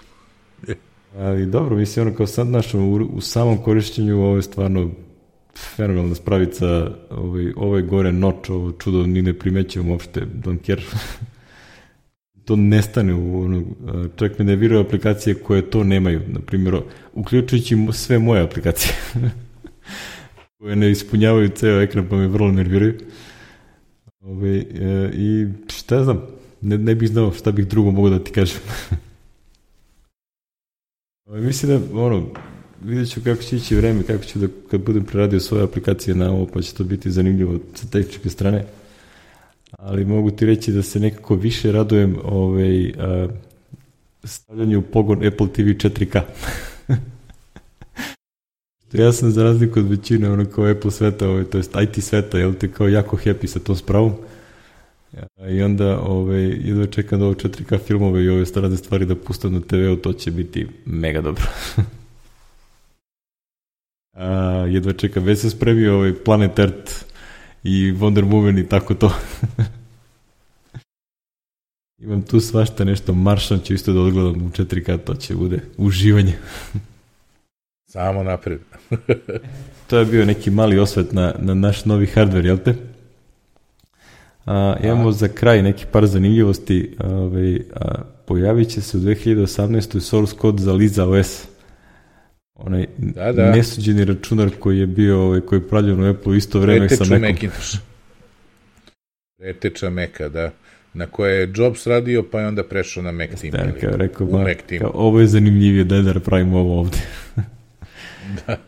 Ali dobro, mislim, ono kao sad, znaš, u, u samom korišćenju ovo je stvarno fenomenalna spravica, ovaj, ovaj gore noč, ovo čudo ni ne primećujem uopšte, don't care. To nestane u ono, čak me nerviraju aplikacije koje to nemaju, na primjer, uključujući sve moje aplikacije koje ne ispunjavaju ceo ekran, pa me vrlo nerviraju. Ove, e, i šta znam, ne, ne bih znao šta bih drugo mogu da ti kažem. Ove, mislim da, ono, vidjet ću kako će ići vreme, kako ću da, kad budem preradio svoje aplikacije na ovo, pa će to biti zanimljivo sa tehničke strane. Ali mogu ti reći da se nekako više radujem ovaj, a, stavljanje u pogon Apple T V četiri K. Ja sam za razliku od većine ono kao Apple sveta, ovaj, to jest I T sveta, jel te, kao jako happy sa tom spravom. I onda ovaj, jedva čekam da ovo četiri K filmove i ove strane stvari da pustam na te veu, to će biti mega dobro. A, jedva čekam, već sam spremio ovaj Planet Earth i Wonder Woman i tako to. Imam tu svašta nešto, Maršan ću isto da odgledam u četiri K, to će bude uživanje. Samo napred. To je bio neki mali osvet na, na naš novi hardware, jel te? A, imamo a. za kraj neki par zanimljivosti. A, ovaj, a, pojavit će se u dve hiljade osamnaestoj source code za Lisa O S. Onaj da, da. nesuđeni računar koji je bio, ovaj, koji je pravljen u Apple u isto vreme Preteču sa Macom. Macintosh. Preteča Maca, da. Na koje je Jobs radio, pa je onda prešao na Mac Team. Da, kao rekao, ba, kao, ovo je zanimljivije, da je da pravimo ovo ovde. Da.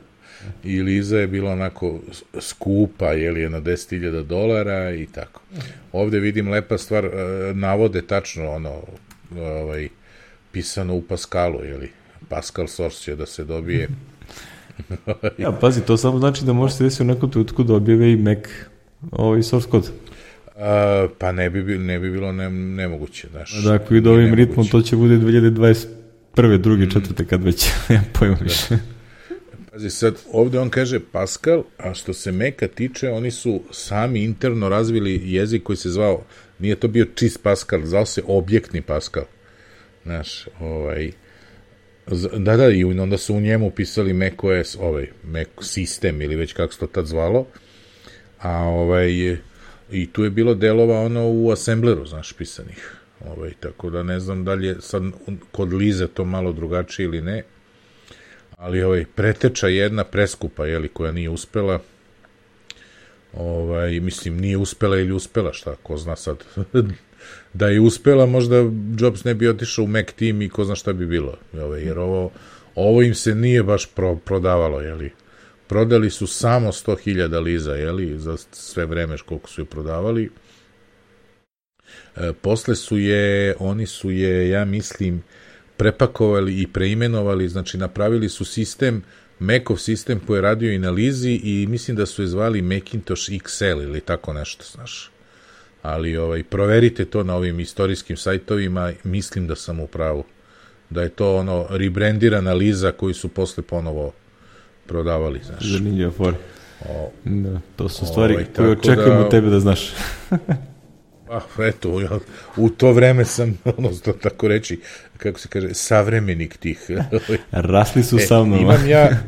I Liza je bila onako skupa, jeli, jedno deset hiljada dolara i tako. Ovde vidim lepa stvar, navode tačno ono, ovaj, pisano u Pascalu, jeli, Pascal source će da se dobije. Ja, pazi, to samo znači da može se desiti u nekom trenutku da objave i Mac ovaj source code. Uh, pa ne bi, ne bi bilo ne, nemoguće, znaš. Da, ako ide ovim ritmom, to će bude dve hiljade dvadeset prve, druge, četvrte, kad već, ja pojma više. Pazi, sad, ovde on kaže Pascal, a što se Maca tiče, oni su sami interno razvili jezik koji se zvao, nije to bio čist Pascal, zvao se objektni Pascal. Znaš, ovaj, da, da, i onda su u njemu pisali macOS, ovaj, Mac sistem, ili već kako se to tad zvalo, a ovaj, i tu je bilo delova ono u assembleru, znaš, pisanih. Ovaj, tako da ne znam da li je sad kod Lize to malo drugačije ili ne, ali ovaj, preteča jedna preskupa, jeli, koja nije uspela, ovaj, mislim, nije uspela ili uspela, šta, ko zna sad. Da je uspela, možda Jobs ne bi otišao u Mac Team i ko zna šta bi bilo, ovaj, jer ovo, ovo im se nije baš pro, prodavalo, jeli. Prodali su samo sto hiljada Liza, jeli, za sve vreme koliko su je prodavali. E, posle su je, oni su je, ja mislim, prepakovali i preimenovali, znači napravili su sistem, Macov sistem koji je radio i na Lizi i mislim da su je zvali Macintosh X L ili tako nešto, znaš. Ali ovaj, proverite to na ovim istorijskim sajtovima, mislim da sam u pravu. Da je to ono rebrandirana Liza koji su posle ponovo prodavali, znaš. Zanimljivo for. Da, to su stvari ovaj, koje očekujemo da, tebe da znaš. Pa, eto, ja, u to vreme sam, ono, to tako reći, kako se kaže, savremenik tih. Rasli su e, sa mnom. Imam ja,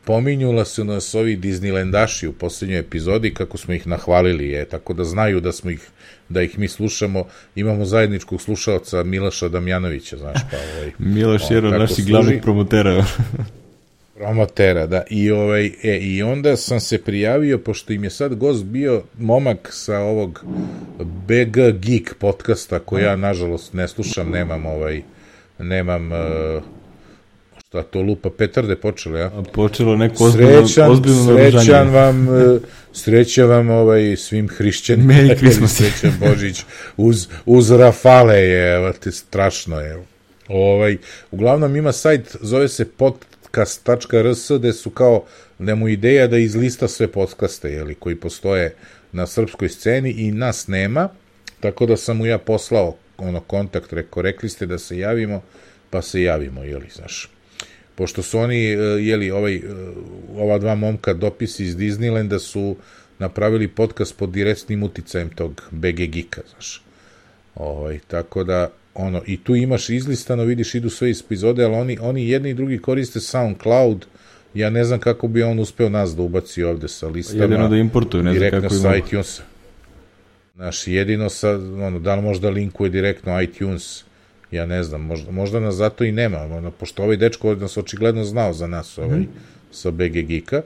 pominjula su nas ovi Disneylandaši u poslednjoj epizodi, kako smo ih nahvalili, je, tako da znaju da smo ih, da ih mi slušamo. Imamo zajedničkog slušaoca Miloša Damjanovića, znaš, pa ovaj. Miloš je jedan od naših glavnih promotera. Promotera, da. I, ovaj, e, I onda sam se prijavio, pošto im je sad gost bio momak sa ovog B G Geek podcasta, koji ja, nažalost, ne slušam, nemam ovaj, nemam, uh, šta to lupa, petarde počelo, ja? A počelo neko ozbiljno, srećan, ozbiljno srećan vam, uh, srećan vam ovaj, svim hrišćanima. Merry Christmas. Srećan Božić, uz, uz Rafale je, evo te, strašno je. Ovaj, uglavnom ima sajt, zove se pod podcast tačka r s, gde su kao, da mu ideja da izlista sve podcaste, jeli, koji postoje na srpskoj sceni i nas nema, tako da sam mu ja poslao ono kontakt, rekao, rekli ste da se javimo, pa se javimo, jeli, znaš. Pošto su oni, jeli, ovaj, ova dva momka dopisi iz Disneylanda su napravili podcast pod direktnim uticajem tog B G Geeka, znaš. Ovaj, tako da, ono, i tu imaš izlistano, vidiš, idu sve epizode, ali oni, oni jedni i drugi koriste SoundCloud, ja ne znam kako bi on uspeo nas da ubaci ovde sa listama. Jedino da importuju, ne znam kako sa iTunes. Znaš, jedino sa, ono, da li možda linkuje direktno iTunes, ja ne znam, možda, možda nas zato i nema, ono, pošto ovaj dečko nas očigledno znao za nas, ovaj, mm. sa B G Geeka.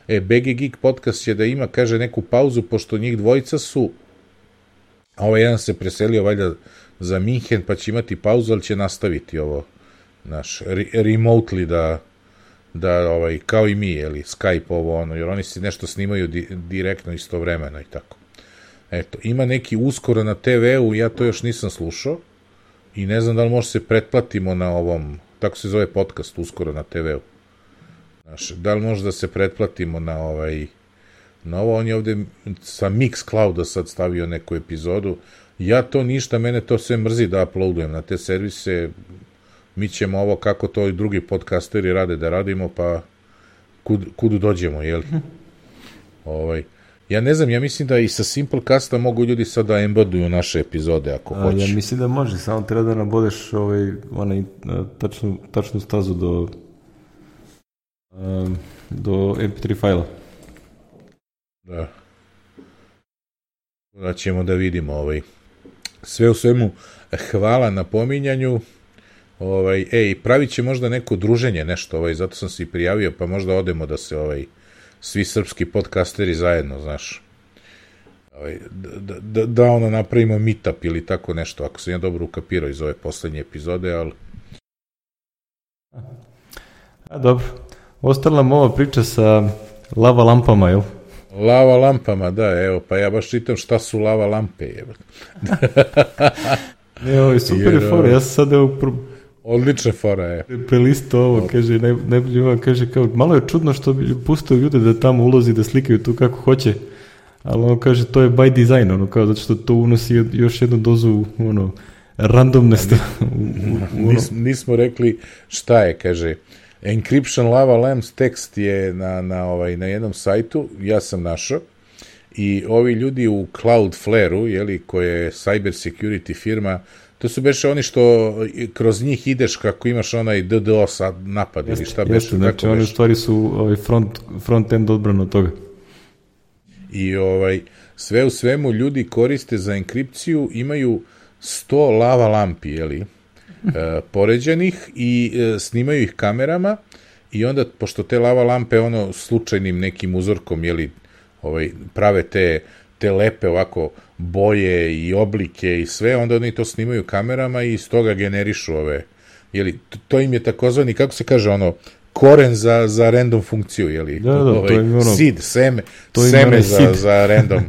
E, B G Geek podcast će da ima, kaže, neku pauzu, pošto njih dvojica su, a ovaj jedan se preselio, valjda, za Minhen, pa će imati pauzu, ali će nastaviti ovo, naš, re remotely da, da, ovaj, kao i mi, jeli, Skype ovo, ono, jer oni se nešto snimaju di direktno istovremeno i tako. Eto, ima neki uskoro na te ve u, ja to još nisam slušao, i ne znam da li može se pretplatimo na ovom, tako se zove podcast uskoro na te veu. Znaš, da li može da se pretplatimo na ovaj, na ovo, on je ovde sa Mixclouda sad stavio neku epizodu, ja to ništa, mene to sve mrzi da uploadujem na te servise, mi ćemo ovo kako to i drugi podcasteri rade da radimo, pa kud, kudu dođemo, jel? ovaj, ja ne znam, ja mislim da i sa Simplecasta mogu ljudi sad da embeduju naše epizode ako A, hoće. ja mislim da može, samo treba da nabodeš ovaj, onaj, tačnu, tačnu stazu do um, do em pe tri fajla. Da. Da ćemo da vidimo ovaj. Sve u svemu, hvala na pominjanju. Ovaj, ej, pravit će možda neko druženje, nešto, ovaj, zato sam se i prijavio, pa možda odemo da se ovaj, svi srpski podcasteri zajedno, znaš, ovaj, da, da, da ono napravimo meetup ili tako nešto, ako sam ja dobro ukapirao iz ove poslednje epizode, ali... A, dobro. Ostala nam ova priča sa lava lampama, jel? Lava lampama, da, evo, pa ja baš čitam šta su lava lampe, evo. Ne, ovo je super je fora, ja sam sad evo... Pro... Odlična fora je. Prelisto ovo, kaže, naj, najbolje ovo, kaže, kao, malo je čudno što bi pustio ljude da tamo ulozi, da slikaju tu kako hoće, ali ono kaže, to je by design, ono, kao, zato što to unosi još jednu dozu, ono, randomnosti. Nis, nismo rekli šta je, kaže, Encryption Lava Lamps tekst je na, na, ovaj, na jednom sajtu, ja sam našao, i ovi ljudi u Cloudflare-u, jeli, koje je cyber security firma, to su beše oni što kroz njih ideš kako imaš onaj D D o S napad ili šta beše. Jeste, znači oni u stvari su ovaj front, front-end odbrana od toga. I ovaj, sve u svemu ljudi koriste za enkripciju, imaju sto lava lampi, jeli, e, poređanih i e, snimaju ih kamerama i onda, pošto te lava lampe ono slučajnim nekim uzorkom, jeli, ovaj, prave te, te lepe ovako boje i oblike i sve, onda oni to snimaju kamerama i iz toga generišu ove, jeli, to im je takozvani, kako se kaže ono, koren za, za random funkciju, jeli, da, da, ovaj, to je ono, seed, seme, seme za, za random,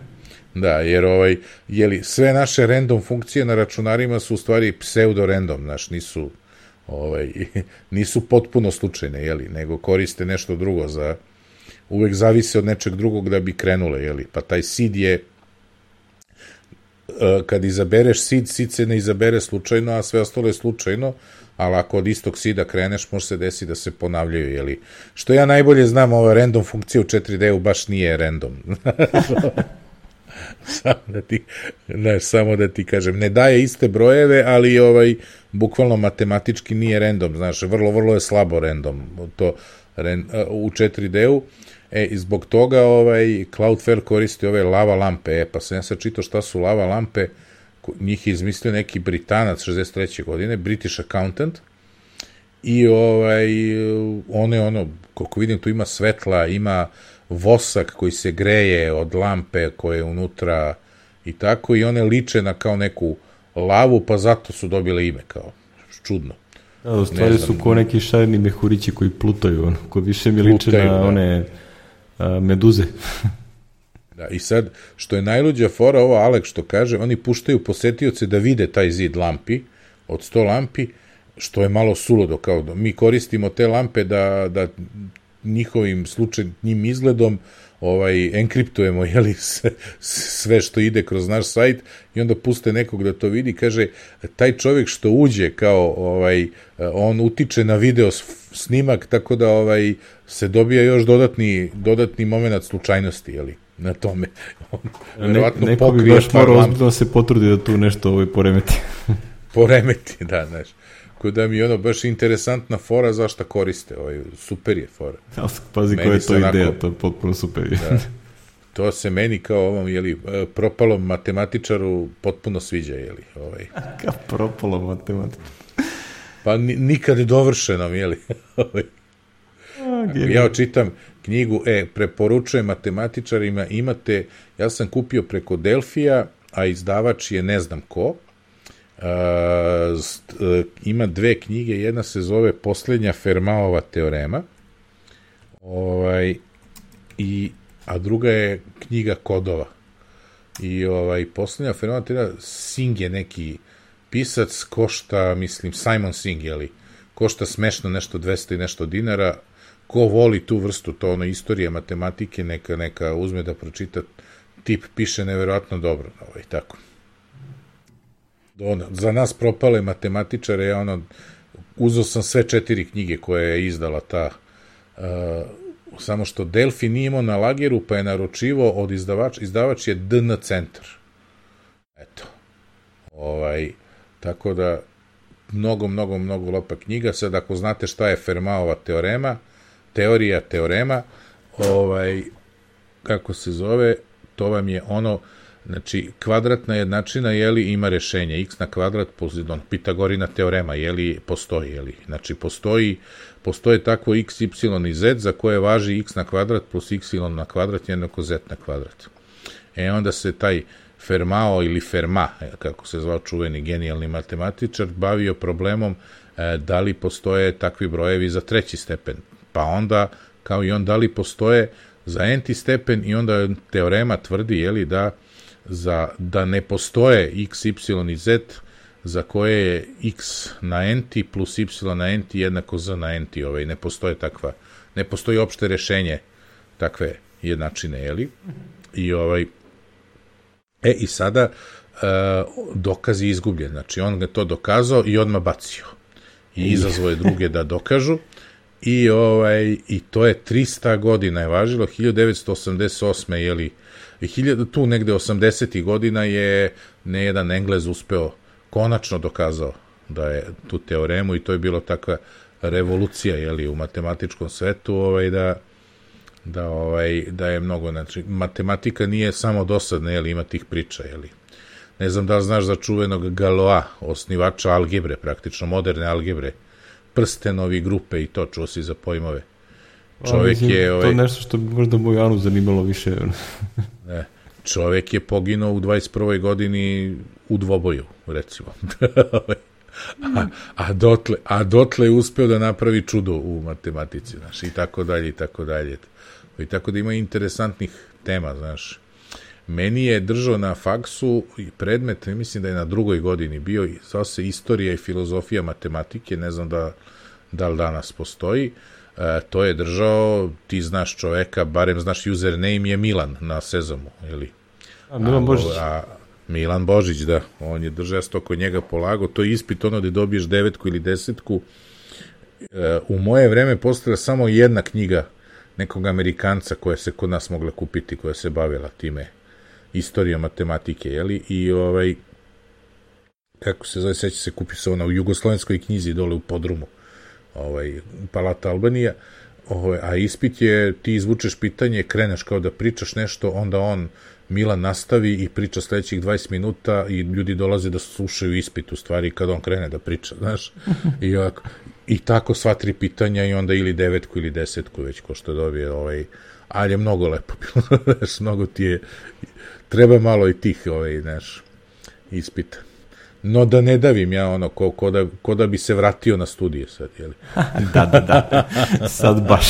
da, jer ovaj, jeli, sve naše random funkcije na računarima su u stvari pseudo-random, znaš, nisu, ovaj, nisu potpuno slučajne, jeli, nego koriste nešto drugo za, uvek zavise od nečeg drugog da bi krenule, jeli, pa taj seed je, kad izabereš seed, seed se ne izabere slučajno, a sve ostalo je slučajno, ali ako od istog seeda kreneš, može se desiti da se ponavljaju, jeli. Što ja najbolje znam, ova random funkcija u četiri D-u baš nije random. samo, da ti, ne, samo da ti kažem, ne daje iste brojeve, ali ovaj, bukvalno matematički nije random, znaš, vrlo, vrlo je slabo random to, u četiri D-u. E, i zbog toga ovaj, Cloudflare koristi ove lava lampe. E, pa sam ja sad čitao šta su lava lampe, njih je izmislio neki Britanac šezdeset treće godine, British accountant, i ovaj, one, ono, koliko vidim, tu ima svetla, ima vosak koji se greje od lampe koje je unutra i tako, i one liče na kao neku lavu, pa zato su dobile ime, kao, čudno. Da, u stvari su ko neki šareni mehurići koji plutaju, ono, ko više mi liče na da. one a, meduze. Da, i sad, što je najluđa fora, ovo Alek što kaže, oni puštaju posetioce da vide taj zid lampi, od sto lampi, što je malo suludo, kao da mi koristimo te lampe da, da njihovim slučajnim izgledom ovaj, enkriptujemo, jeli, sve, sve što ide kroz naš sajt, i onda puste nekog da to vidi, kaže, taj čovjek što uđe, kao, ovaj, on utiče na video snimak, tako da ovaj, se dobija još dodatni, dodatni moment slučajnosti, jeli, na tome. Ne, neko bi baš morao ozbiljno se potrudi da tu nešto ovaj, poremeti. Poremeti, da, znaš. Ko da mi je ono baš interesantna fora zašto koriste, ovaj, super je fora. Pazi koja je to onako, ideja, to je potpuno super. Da, to se meni kao ovom, jeli, propalom matematičaru potpuno sviđa, jeli. Ovaj. Kao propalom matematičaru. Pa nikad dovršenom, jeli. Ja očitam knjigu, e, preporučujem matematičarima, imate, ja sam kupio preko Delfija, a izdavač je ne znam ko, Uh, st, uh, ima dve knjige, jedna se zove Poslednja Fermatova teorema, ovaj, i, a druga je knjiga kodova. I ovaj, Poslednja Fermatova teorema, Singh je neki pisac košta, mislim, Simon Singh, jeli, košta smešno nešto dvesta i nešto dinara. Ko voli tu vrstu, to ono istorije, matematike, neka, neka uzme da pročita, tip piše neverovatno dobro, ovaj, tako. Ono, za nas propale matematičare, ja ono, uzeo sam sve četiri knjige koje je izdala ta, uh, samo što Delfi nije imao na lageru, pa je naručivo od izdavač, izdavač je D N Centar. Eto. Ovaj, tako da, mnogo, mnogo, mnogo lepa knjiga. Sad, ako znate šta je Fermatova teorema, teorija teorema, ovaj, kako se zove, to vam je ono, znači, kvadratna jednačina, jeli, ima rešenje, x na kvadrat, on, Pitagorina teorema, jeli, postoji, jeli, znači, postoji, postoje takvo x, y i z, za koje važi x na kvadrat plus y na kvadrat jednako z na kvadrat. E, onda se taj Fermat ili Fermat, kako se zvao čuveni genijalni matematičar, bavio problemom e, da li postoje takvi brojevi za treći stepen, pa onda, kao i on, da li postoje za n-ti stepen, i onda teorema tvrdi, jeli, da za, da ne postoje x, y i z za koje je x na n-ti plus y na n-ti jednako z na n-ti, ovaj, ne postoje takva, ne postoji opšte rešenje takve jednačine, jeli? I ovaj, e, i sada e, dokaz je izgubljen, znači on ga to dokazao i odmah bacio. I izazvao je druge da dokažu, i ovaj, i to je trista godina je važilo, hiljadu devetsto osamdeset osme, jeli, tu negde osamdesetih godina je ne jedan Englez uspeo, konačno dokazao da je tu teoremu, i to je bilo takva revolucija, jeli, u matematičkom svetu, ovaj, da, da, ovaj, da je mnogo, znači, matematika nije samo dosadna, jeli, ima tih priča, jeli. Ne znam da li znaš za čuvenog Galois, osnivača algebre, praktično moderne algebre, prstenovi grupe i to, čuo si za pojmove. Čovjek A, je... Ovaj, to nešto što bi možda Bojanu zanimalo više. ne, čovjek je poginuo u dvadeset prvoj godini u dvoboju, recimo. a, a, dotle, a dotle je uspeo da napravi čudo u matematici, znaš, i tako dalje, i tako dalje. I tako da ima interesantnih tema, znaš. Meni je držao na faksu predmet, mislim da je na drugoj godini bio, zvao se Istorija i filozofija matematike, ne znam da, da li danas postoji. E, to je držao, ti znaš čoveka, barem znaš username je Milan na Sezamu, ili? A, Milan Božić. A, a, Milan Božić, da. On je držao, ja sam to kod njega polagao. To je ispit ono da dobiješ devetku ili desetku. E, u moje vreme postoja samo jedna knjiga nekog Amerikanca koja se kod nas mogla kupiti, koja se bavila time, istorija matematike, jeli? I ovaj, kako se zove, seća se, kupi se ona u jugoslovenskoj knjizi dole u podrumu, ovaj, Palata Albanija, ovaj, a ispit je, ti izvučeš pitanje, kreneš kao da pričaš nešto, onda on, Milan, nastavi i priča sledećih dvadeset minuta i ljudi dolaze da slušaju ispit, u stvari, kad on krene da priča, znaš, i, ovako, i tako sva tri pitanja, i onda ili devetku ili desetku, već ko što dobije, ovaj, ali je mnogo lepo bilo, znaš, mnogo ti je, treba malo i tih, ovaj, znaš, ispita. No da ne davim ja ono, ko, ko, da, ko da bi se vratio na studije sad, jeli? da, da, da, sad baš.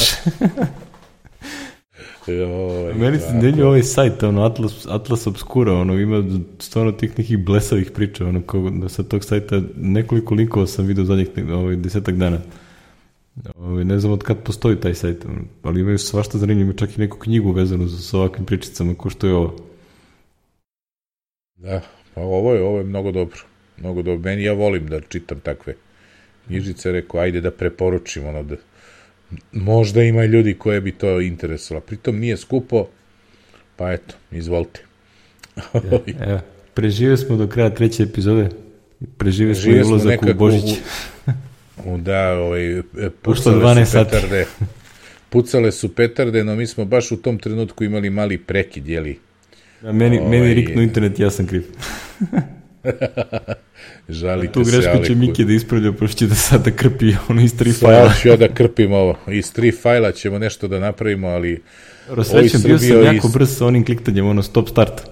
Joj, meni se denju ovaj sajt, ono, Atlas, Atlas Obscura, ono, ima stvarno tih nekih blesavih priča, ono, ko, da sa tog sajta nekoliko linkova sam vidio zadnjih ovaj, desetak dana. Ovaj, ne znam od kad postoji taj sajt, ono, ali imaju svašta zanimljivo, čak i neku knjigu vezanu sa ovakvim pričicama, ko što je ovo. Da, pa ovo je, ovo je mnogo dobro. Mnogo dobro. Meni, ja volim da čitam takve knjižice, rekao, ajde da preporučim, ono, da možda ima ljudi koje bi to interesovalo. Pritom nije skupo, pa eto, izvolite. Evo, preživio smo do kraja treće epizode. Preživio smo i ulazak u Božić. U, da, ovaj, pucale su petarde. Pucale su petarde, no mi smo baš u tom trenutku imali mali prekid, jeli? Da, meni, ovaj, meni riknu internet, ja sam kriv. Žalite tu se, grešku ali... će Miki da ispravlja, pošto će da sada krpi ono iz tri fajla. Sad ću ja da krpim ovo. Iz tri fajla ćemo nešto da napravimo, ali... Srećem, bio sam jako is... brz sa onim kliktanjem, ono stop start.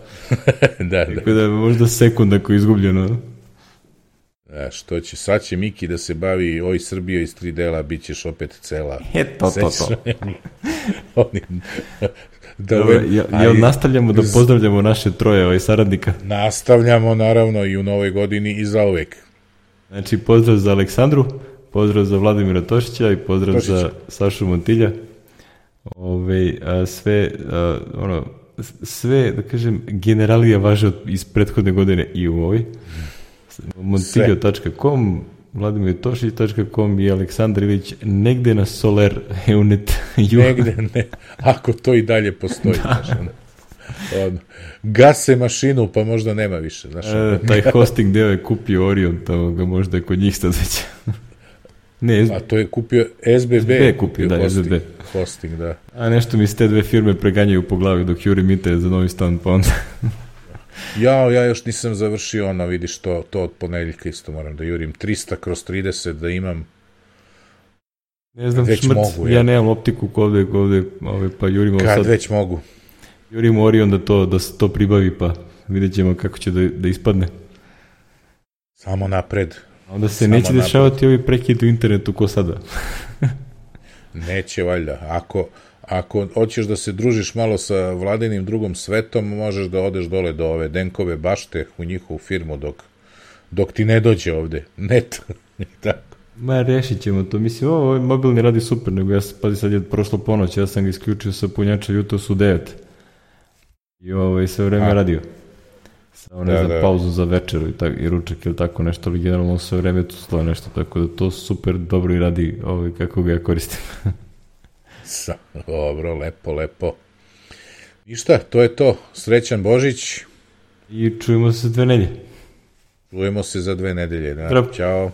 da, da. Tako da možda sekund ako je izgubljeno. Da, što će, sad će Miki da se bavi oj Srbija iz tri dela, bit ćeš opet cela. E, to, to, to. Oni Da Dobro, ja, ja nastavljamo da pozdravljamo naše troje ovaj saradnika. Nastavljamo naravno i u novoj godini i za uvek. Znači pozdrav za Aleksandru, pozdrav za Vladimira Tošića i pozdrav Tošić. Za Sašu Montilja. Ove, a sve, a, ono, sve, da kažem, generalija važe iz prethodne godine i u ovoj. montiljo tačka com, vladimir tošić tačka com i Aleksandar Ilić negde na Soler Eunet. Negde, ne, ako to i dalje postoji. Da. Znaš, ono, ono, gase mašinu, pa možda nema više. Znaš, e, taj hosting deo je kupio Orion, to ga možda je kod njih sad već. Ne, S B... A to je kupio S B B. S B B kupio, da, hosting, S B B. Hosting, da. A nešto mi se te dve firme preganjaju po glavi dok jurim internet za novi stan, pa onda... Ja, ja još nisam završio ono, vidiš, to, to od ponedeljka isto moram da jurim trista kroz trideset da imam. Ne znam, već šmrc, mogu, ja. ja nemam optiku ovde, ovde, ovde pa jurimo kad sad. Već mogu. Jurimo Orion da to, da se to pribavi, pa vidjet ćemo kako će da, da ispadne. Samo napred. A onda se Samo neće napred. Dešavati ovi prekid u internetu ko sada. Neće, valjda. Ako... Ako hoćeš da se družiš malo sa Vladinim drugom svetom, možeš da odeš dole do ove Denkove bašte u njihovu firmu dok, dok ti ne dođe ovde. Net. Tako. Ma, rešit ćemo to. Mislim, ovo, ovaj mobilni radi super, nego ja, pazi, sad je prošlo ponoć, ja sam ga isključio sa punjača, jutro su devet. I ovaj, sve vreme A. radio. Samo ne da, znam, da. pauzu za večeru i, tak, i ručak ili tako nešto, ali generalno sve vreme tu stoje nešto, tako da to super dobro i radi ovaj, kako ga ja koristim. Dobro, lepo, lepo. I šta, to je to. Srećan Božić. I čujemo se za dve nedelje. Čujemo se za dve nedelje. Da. Ćao.